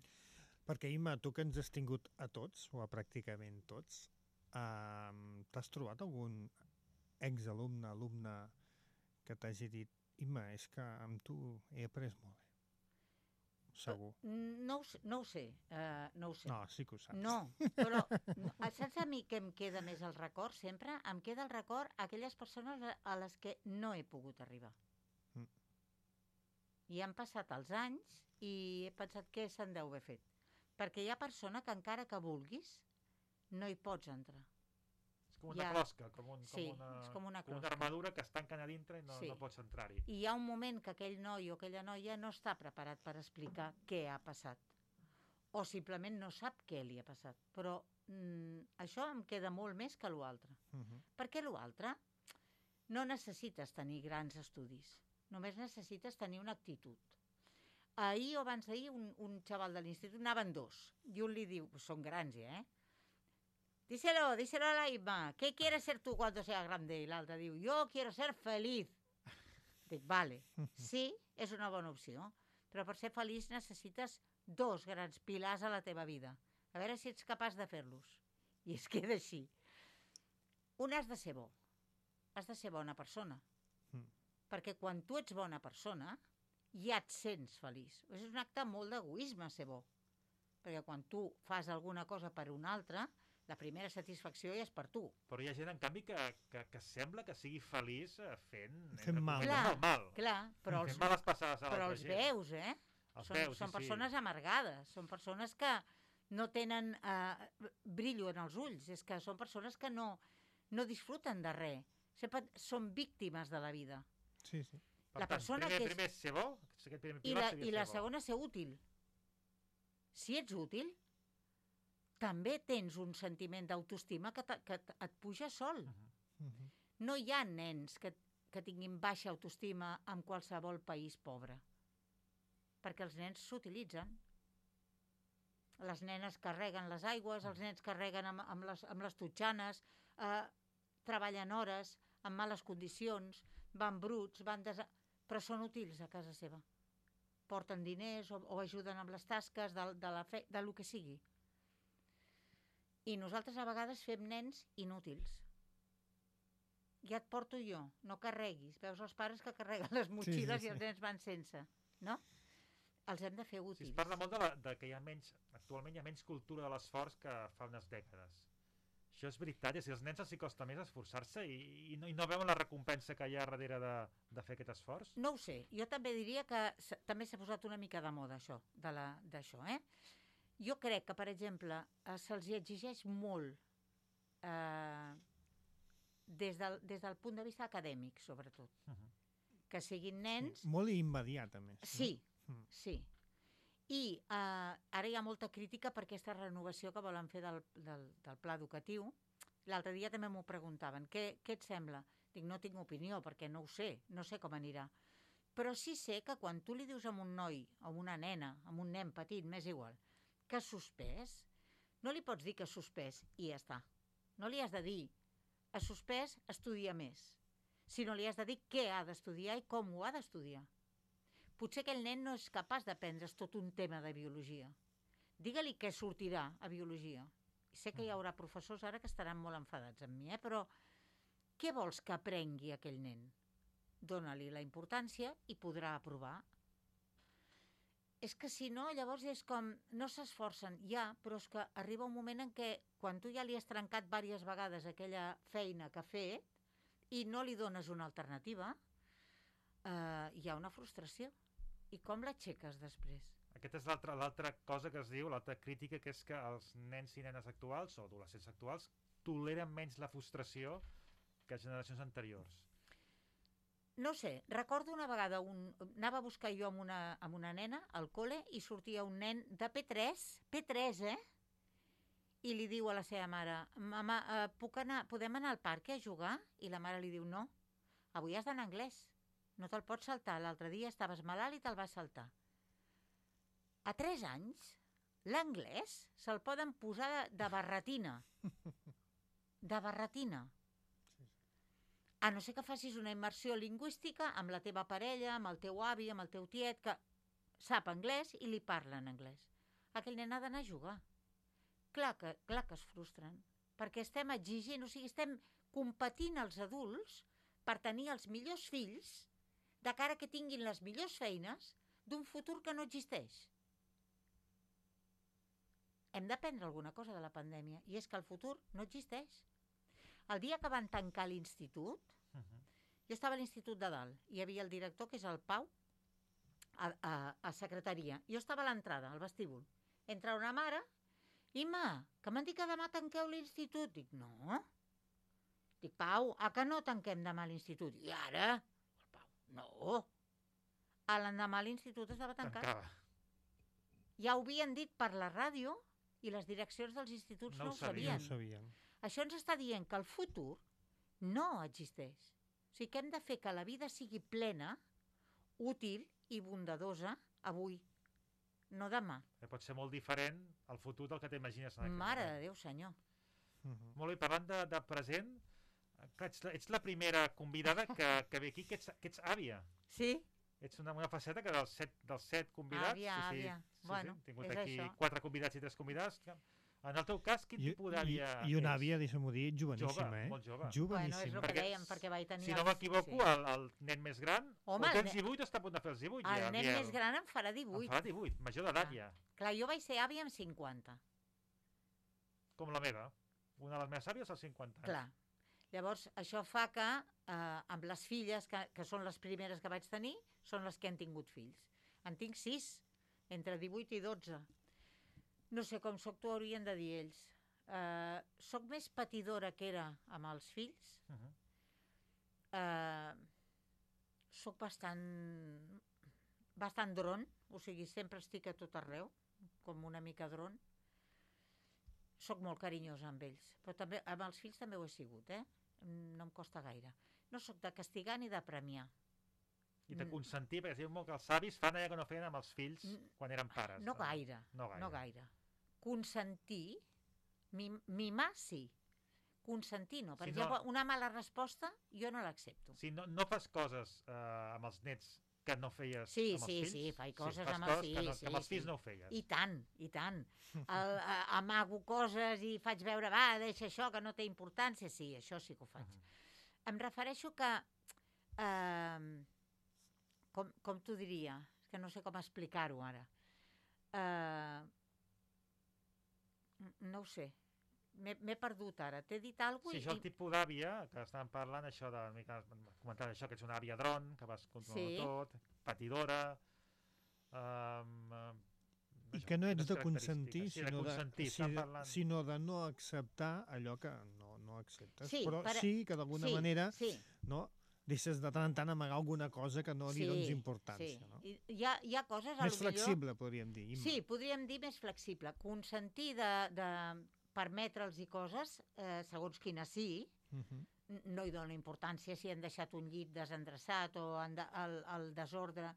Perquè, Imma, tu que ens has tingut a tots, o a pràcticament tots, t'has trobat algun exalumne que t'hagi dit, Imma, és que amb tu he après molt bé? Segur. No ho sé. No, sí que ho saps. No, però saps a mi què em queda més el record sempre? Em queda el record a aquelles persones a les que no he pogut arribar. I han passat els anys i he pensat que se'n deu haver fet. Perquè hi ha persona que encara que vulguis no hi pots entrar. És com una closca, com una armadura que es tanquen a dintre i no pots entrar-hi. I hi ha un moment que aquell noi o aquella noia no està preparat per explicar què ha passat. O simplement no sap què li ha passat. Però això em queda molt més que l'altre. Perquè l'altre no necessites tenir grans estudis. Només necessites tenir una actitud. Ahir o abans d'ahir un xaval de l'institut anaven dos. I un li diu, són grans ja, díselo a la Imma, ¿qué quieres ser tú cuando seas grande? I l'altre diu, yo quiero ser feliz. Dic, vale, sí, és una bona opció, però per ser feliç necessites dos grans pilars a la teva vida. A veure si ets capaç de fer-los. I es queda així. Un, has de ser bo. Has de ser bona persona. Perquè quan tu ets bona persona, ja et sents feliç. És un acte molt d'egoisme ser bo. Perquè quan tu fas alguna cosa per un altre, la primera satisfacció ja és per tu. Però hi ha gent, en canvi, que sembla que sigui feliç fent mal. Clar, però els veus, Són persones amargades, són persones que no tenen brillo en els ulls, és que són persones que no disfruten de res, sempre són víctimes de la vida. Sí. Per tant, primer ser bo, i la segona ser útil. Si ets útil, també tens un sentiment d'autoestima que et puja sol. No hi ha nens que tinguin baixa autoestima en qualsevol país pobre. Perquè els nens s'utilitzen. Les nenes carreguen les aigües, els nens carreguen amb les totxanes. treballen hores, en males condicions, van bruts, però són útils a casa seva. Porten diners o ajuden amb les tasques de lo que sigui. I nosaltres a vegades fem nens inútils. Ja et porto jo, no carreguis. Veus els pares que carreguen les motxilles i els nens van sense, no? Els hem de fer útils. Es parla molt de que actualment hi ha menys cultura de l'esforç que fa unes dècades. Això és veritat, és a dir, als nens els costa més esforçar-se i no veuen la recompensa que hi ha darrere de fer aquest esforç? No ho sé, jo també diria que també s'ha posat una mica de moda això, d'això, Jo crec que, per exemple, se'ls exigeix molt des del punt de vista acadèmic, sobretot. Que siguin nens... Molt immediat, a més. Sí, sí. I ara hi ha molta crítica per aquesta renovació que volen fer del pla educatiu. L'altre dia també m'ho preguntaven. Què et sembla? Dic, no tinc opinió, perquè no ho sé, no sé com anirà. Però sí sé que quan tu li dius a un noi, a una nena, a un nen petit, m'és igual, que ha suspès, no li pots dir que ha suspès i ja està. No li has de dir, ha suspès, estudia més. Sinó li has de dir què ha d'estudiar i com ho ha d'estudiar. Potser aquell nen no és capaç d'aprendre's tot un tema de biologia. Digue-li què sortirà a biologia. I sé que hi haurà professors ara que estaran molt enfadats amb mi, però què vols que aprengui aquell nen? Dóna-li la importància i podrà aprovar. És que si no, llavors és com, no s'esforcen, però és que arriba un moment en què quan tu ja li has trencat diverses vegades aquella feina que ha fet i no li dones una alternativa, hi ha una frustració. I com l'aixeques després? Aquesta és l'altra cosa que es diu, l'altra crítica, que és que els nens i nenes actuals, o adolescents actuals, toleren menys la frustració que generacions anteriors. No sé, recordo una vegada, anava a buscar jo amb una nena al col·le i sortia un nen de P3, i li diu a la seva mare, mama, podem anar al parc a jugar? I la mare li diu, no, avui has d'anar a anglès, no te'l pots saltar, l'altre dia estaves malalt i te'l vas saltar. A 3 anys, l'anglès se'l poden posar de barretina. De barretina. A no ser que facis una immersió lingüística amb la teva parella, amb el teu avi, amb el teu tiet, que sap anglès i li parla en anglès. Aquell nen ha d'anar a jugar. Clar que es frustren, perquè estem exigint, o sigui, estem competint els adults per tenir els millors fills de cara que tinguin les millors feines d'un futur que no existeix. Hem d'aprendre alguna cosa de la pandèmia, i és que el futur no existeix. El dia que van tancar l'institut, jo estava a l'institut de dalt, hi havia el director, que és el Pau, a secretaria. Jo estava a l'entrada, al vestíbul. Entra una mare, Imma, que m'han dit que demà tanqueu l'institut. Dic, no. Dic, Pau, que no tanquem demà l'institut? I ara? El Pau, no. L'endemà l'institut estava tancat. Ja ho havien dit per la ràdio i les direccions dels instituts no ho sabien. Això ens està dient que el futur no existeix. O sigui que hem de fer que la vida sigui plena, útil i bondadosa avui, no demà. Pot ser molt diferent el futur del que t'imagines en aquest moment. Mare de Déu, senyor. Molt bé, parlant de present, ets la primera convidada que ve aquí, que ets àvia. Sí? Ets una faceta que dels set convidats... Àvia. Bueno, hem tingut aquí 4 convidats i 3 convidats. En el teu cas, quin tipus d'àvia és? I una àvia, deixa'm-ho dir, joveníssima, molt jove. Bueno, és el que dèiem, perquè vaig tenir... Si no m'equivoco, el nen més gran, o tens 18 o està a punt de fer els 18. El nen més gran em farà 18. Em farà 18, major d'edat ja. Clar, jo vaig ser àvia amb 50. Com la meva. Una de les meves àvies als 50 anys. Clar. Llavors, això fa que amb les filles, que són les primeres que vaig tenir, són les que han tingut fills. En tinc 6, entre 18 i 12. No sé com soc, t'ho haurien de dir ells. Soc més patidora que era amb els fills. Soc bastant dron, o sigui, sempre estic a tot arreu, com una mica dron. Soc molt carinyosa amb ells, però també amb els fills també ho he sigut, no em costa gaire. No soc de castigar ni de premiar. I de consentir, perquè es diu molt que els avis fan allò que no feien amb els fills quan eren pares. No gaire. Consentir, mimar sí. consentir no. Per exemple, una mala resposta jo no l'accepto. Si no fas coses amb els nets que no feies amb els fills... Sí, faig coses amb els fills. Que amb els fills no ho feies. I tant. Amago coses i faig veure, deixa això, que no té importància. Sí, això sí que ho faig. Em refereixo que... Com t'ho diria? És que no sé com explicar-ho ara. No ho sé. M'he perdut ara. T'he dit alguna cosa? Sí, això el tipus d'àvia, que estàvem parlant, això de... Comentant això, que ets una àvia dron, que vas controlar tot, patidora... I que no ets de consentir, sinó de no acceptar allò que no acceptes. Però sí que d'alguna manera deixes de tant en tant amagar alguna cosa que no li dones importància. Hi ha coses... Més flexible, podríem dir. Sí, podríem dir més flexible. Consentir de permetre'ls coses, segons quina sí, no hi dona importància si han deixat un llit desendreçat o el desordre,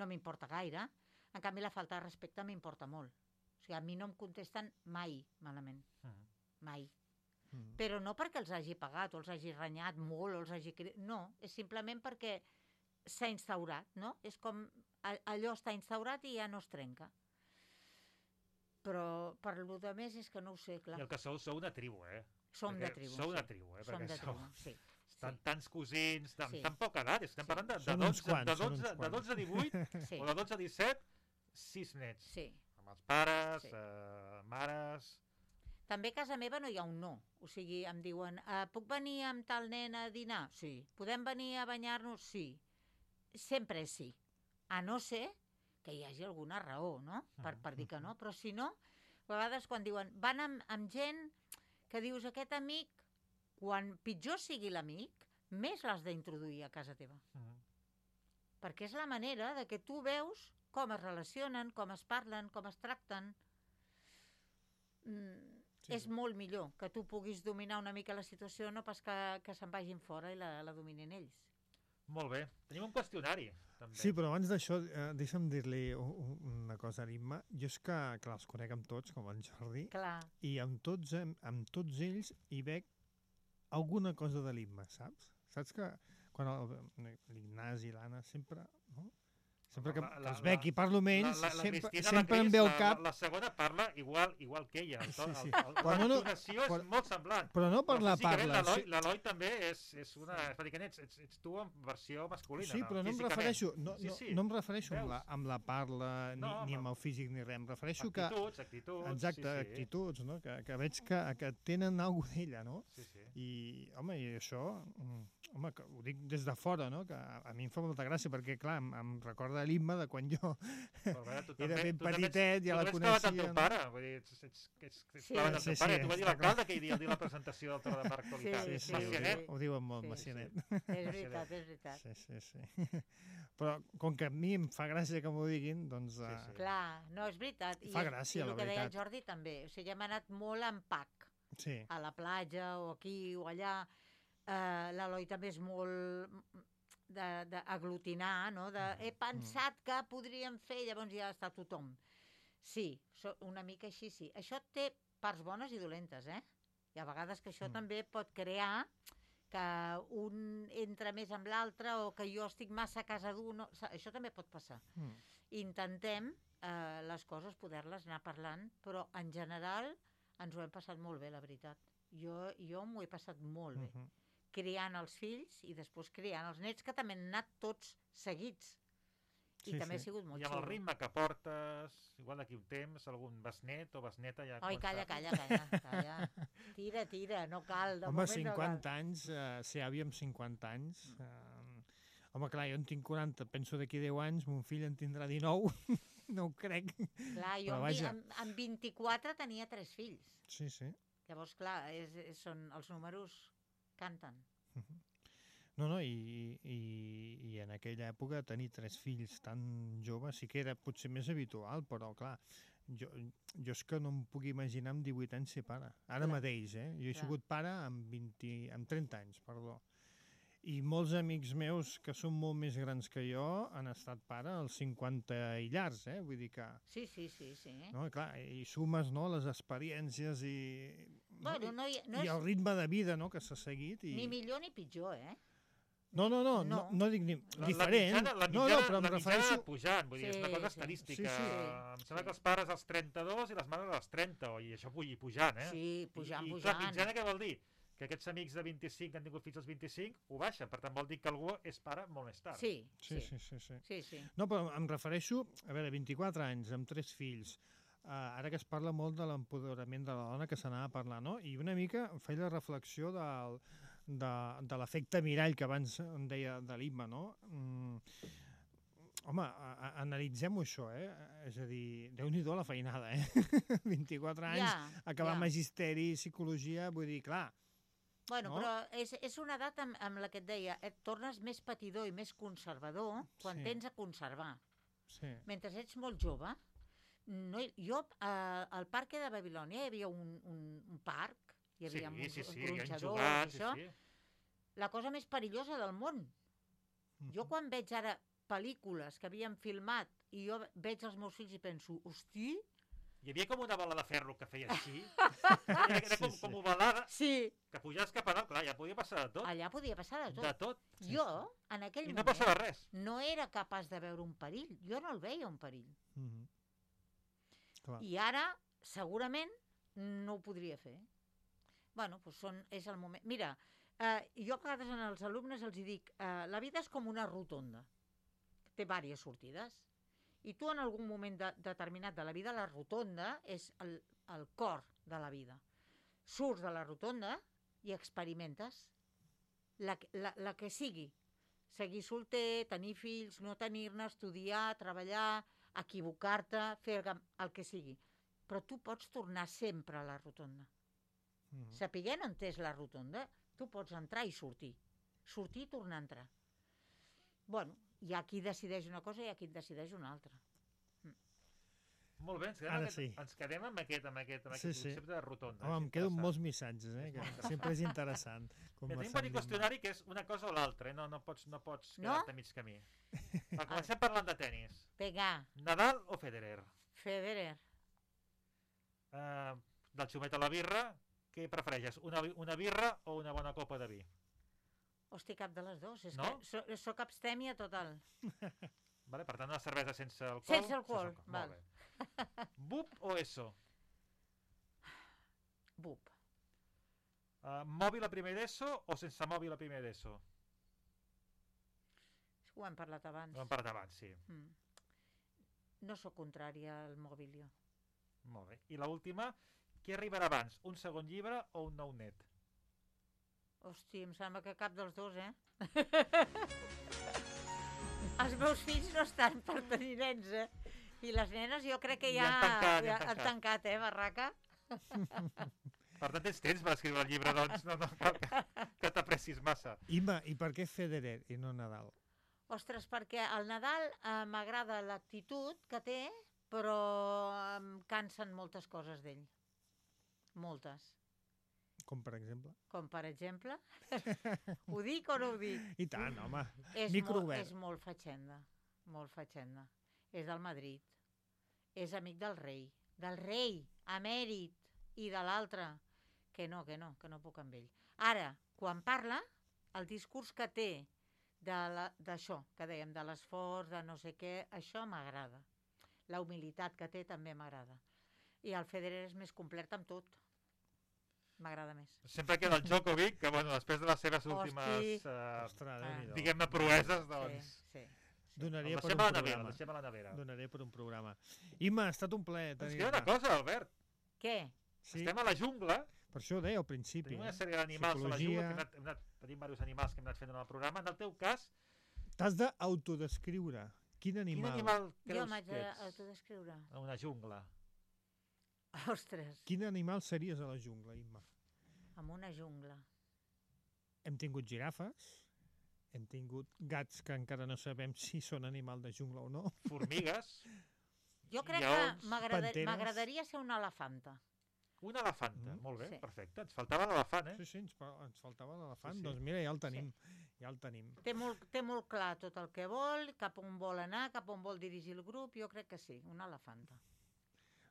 no m'importa gaire. En canvi, la falta de respecte m'importa molt. O sigui, a mi no em contesten mai malament. Mai. Però no perquè els hagi pagat o els hagi renyat molt o els hagi... No, és simplement perquè s'ha instaurat, no? És com allò està instaurat i ja no es trenca. Però per lo de més és que no ho sé, clar. I el que sou una tribu, Som de tribu, Sou una tribu, Som de tribu, sí. Tants cosins, tan poca edat, estem parlant de 12 a 18 o de 12 a 17, 6 nets. Sí. Amb els pares, mares... També a casa meva no hi ha un no. O sigui, em diuen, puc venir amb tal nen a dinar? Sí. Podem venir a banyar-nos? Sí. Sempre és sí. A no ser que hi hagi alguna raó, no? Per dir que no. Però si no, a vegades quan diuen, van amb gent que dius, aquest amic, quan pitjor sigui l'amic, més l'has d'introduir a casa teva. Perquè és la manera de que tu veus com es relacionen, com es parlen, com es tracten. És molt millor que tu puguis dominar una mica la situació, no pas que se'n vagin fora i la dominin ells. Molt bé. Tenim un qüestionari, també. Sí, però abans d'això, deixa'm dir-li una cosa a l'Imma. Jo és que, clar, els conec amb tots, com en Jordi, i amb tots ells hi veig alguna cosa de l'Imma, saps? Saps que quan l'Ignasi i l'Anna sempre... Sempre que els veig i parlo amb ells, sempre em ve al cap... La segona parla igual que ella. La entonació és molt semblant. Però no per la parla. L'Eloi també és una... Ets tu en versió masculina. Sí, però no em refereixo... No em refereixo amb la parla, ni amb el físic, ni res. Em refereixo que... Actituds. Exacte, actituds, no? Que veig que tenen alguna d'ella, no? I, home, i això... Home, ho dic des de fora, no? Que a mi em fa molta gràcia, perquè, clar, em recorda l'Imma de quan jo era ben petitet, ja la coneixia. Tu també ets clavat amb teu pare, vull dir, ets clavat amb teu pare. Tu va dir l'alcalde aquell dia al dir la presentació del Torre de Mar Actualitat. Sí, ho diuen molt, Macianet. És veritat. Sí. Però com que a mi em fa gràcia que m'ho diguin, doncs... Clar, no, és veritat. Fa gràcia, la veritat. I el que deia el Jordi també. O sigui, hem anat molt en pack. A la platja o aquí o allà. L'Eloi també és molt d'aglutinar, no? He pensat que podríem fer, llavors ja està tothom. Sí, una mica així, sí. Això té parts bones i dolentes, I a vegades que això també pot crear que un entra més amb l'altre o que jo estic massa a casa d'un... Això també pot passar. Intentem les coses poder-les anar parlant, però en general ens ho hem passat molt bé, la veritat. Jo m'ho he passat molt bé. Criant els fills i després criant els nets, que també han anat tots seguits. I també ha sigut molt xulo. I amb el ritme que portes, igual d'aquí un temps, algun besnet o besneta ja... Oi, calla. Tira, no cal. Home, 50 anys, ser àvia amb 50 anys... Home, clar, jo en tinc 40, penso d'aquí 10 anys, mon fill en tindrà 19, no ho crec. Clar, jo amb 24 tenia 3 fills. Sí. Llavors, clar, els números... canten. No, i en aquella època tenir 3 fills tan joves sí que era potser més habitual, però clar, jo és que no em puc imaginar amb 18 anys ser pare. Ara mateix, Jo he sigut pare amb 30 anys, perdó. I molts amics meus que són molt més grans que jo han estat pare als 50 i llargs, Vull dir que... Sí. No, clar, i sumes, no, les experiències i Bueno, no I el ritme de vida, no?, que s'ha seguit. Ni millor ni pitjor, eh? No dic ni... Diferent. La mitjana pujant, vull dir, és una cosa estadística. Em sembla que els pares als 32 i les mares als 30, i això pujant, eh? Sí, pujant. I clar, mitjana què vol dir? Que aquests amics de 25 que han tingut fills als 25 ho baixen, per tant vol dir que algú és pare molt més tard. Sí. No, però em refereixo, a veure, 24 anys, amb 3 fills, ara que es parla molt de l'empoderament de la dona, que s'anava a parlar, no? I una mica feia la reflexió de l'efecte mirall que abans em deia de l'Imma, no? Home, analitzem-ho això, És a dir, Déu-n'hi-do la feinada, 24 anys, acabar magisteri, psicologia, vull dir, clar. Bueno, no? Però és una edat amb la que et deia, et tornes més patidor i més conservador quan tens a conservar. Sí. Mentre ets molt jove, jo al Parc de Babilònia hi havia un parc, hi havia uns gronxadors, això. La cosa més perillosa del món. Jo quan veig ara pel·lícules que havien filmat i jo veig els meus fills i penso, hosti... Hi havia com una bola de ferro que feia així, era com ovalada, que pujaves cap a dalt, clar, ja podia passar de tot. Allà podia passar de tot. De tot. Jo, en aquell moment... I no passava res. No era capaç de veure un perill, jo no el veia un perill. I ara, segurament, no ho podria fer. Bueno, doncs és el moment... Mira, jo a vegades als alumnes els dic, la vida és com una rotonda, té diverses sortides. I tu en algun moment determinat de la vida, la rotonda és el cor de la vida. Surts de la rotonda i experimentes la que sigui. Seguir solter, tenir fills, no tenir-ne, estudiar, treballar, equivocar-te, fer el que sigui. Però tu pots tornar sempre a la rotonda. Sapiguent on és la rotonda, tu pots entrar i sortir. Sortir i tornar a entrar. Bueno, hi ha qui decideix una cosa i hi ha qui decideix una altra. Molt bé, ens quedem amb aquest concepte de rotonda. Home, em quedo amb molts missatges, que sempre és interessant. Tenim un petit qüestionari que és una cosa o l'altra, no pots quedar-te a mig camí. Comencem parlant de tenis. Nadal o Federer? Federer. Del xumet a la birra, què prefereixes? Una birra o una bona copa de vi? Hosti, cap de les dues. És que soc abstèmia total. Per tant, una cervesa sense alcohol? Sense alcohol, val. Bup o ESO? Bup. Mòbil a primer d'ESO o sense mòbil a primer d'ESO? Ho hem parlat abans. Ho hem parlat abans, sí. No sóc contrària al mòbil, jo. Molt bé. I l'última, què arribarà abans, un segon llibre o un nou net? Hosti, em sembla que cap dels dos, Els meus fills no estan per tenir nens, I les nenes jo crec que ja han tancat, barraca? Per tant, tens temps per escriure el llibre, doncs no cal que t'apressis massa. Imma, i per què Federer i no Nadal? Ostres, perquè el Nadal m'agrada l'actitud que té, però em cansen moltes coses d'ell. Moltes. Com per exemple? Com per exemple? Ho dic o no ho dic? I tant, home. Micro obert. És molt fatxenda. Molt fatxenda. És del Madrid. És amic del rei, emèrit, i de l'altre. Que no puc amb ell. Ara, quan parla, el discurs que té d'això, que dèiem, de l'esforç, de no sé què, això m'agrada. La humilitat que té també m'agrada. I el Federer és més complet amb tot. M'agrada més. Sempre queda el Djokovic, que després de les seves últimes, diguem-ne, proeses, doncs... Sí. Donaria per un programa. Imma, ha estat un plaer. Ens queda una cosa, Albert. Què? Estem a la jungla. Per això ho deia al principi. Tenim una sèrie d'animals a la jungla, tenim diversos animals que hem anat fent en el programa. En el teu cas... T'has d'autodescriure. Quin animal jo m'haig d'autodescriure? A una jungla. Ostres. Quin animal series a la jungla, Imma? En una jungla. Hem tingut girafes, hem tingut gats que encara no sabem si són animal de jungla o no. Formigues. Jo crec que m'agradaria ser una elefanta. Una elefanta, molt bé, perfecte. Ens faltava l'elefant, Sí, ens faltava l'elefant. Doncs mira, ja el tenim. Té molt clar tot el que vol, cap on vol anar, cap on vol dirigir el grup. Jo crec que sí, una elefanta.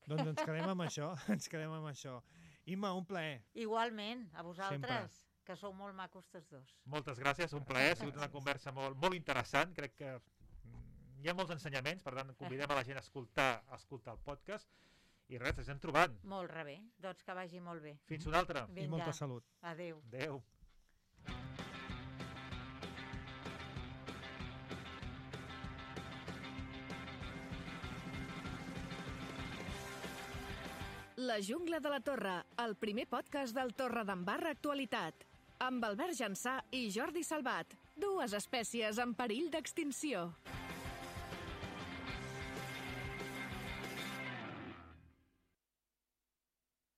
Doncs ens quedem amb això, Imma, un plaer. Igualment, a vosaltres, Sempre. que sou molt macos tots dos. Moltes gràcies, un plaer, ha sigut una conversa molt interessant, crec que hi ha molts ensenyaments, per tant convidem a la gent a escoltar el podcast i res, ens anem trobant. Molt bé, doncs que vagi molt bé. Fins una altra. I molta salut. Adéu. Adéu. La Jungla de la Torre, el primer podcast del Torredembarra Actualitat. Amb Albert Jansà i Jordi Salvat, dues espècies en perill d'extinció.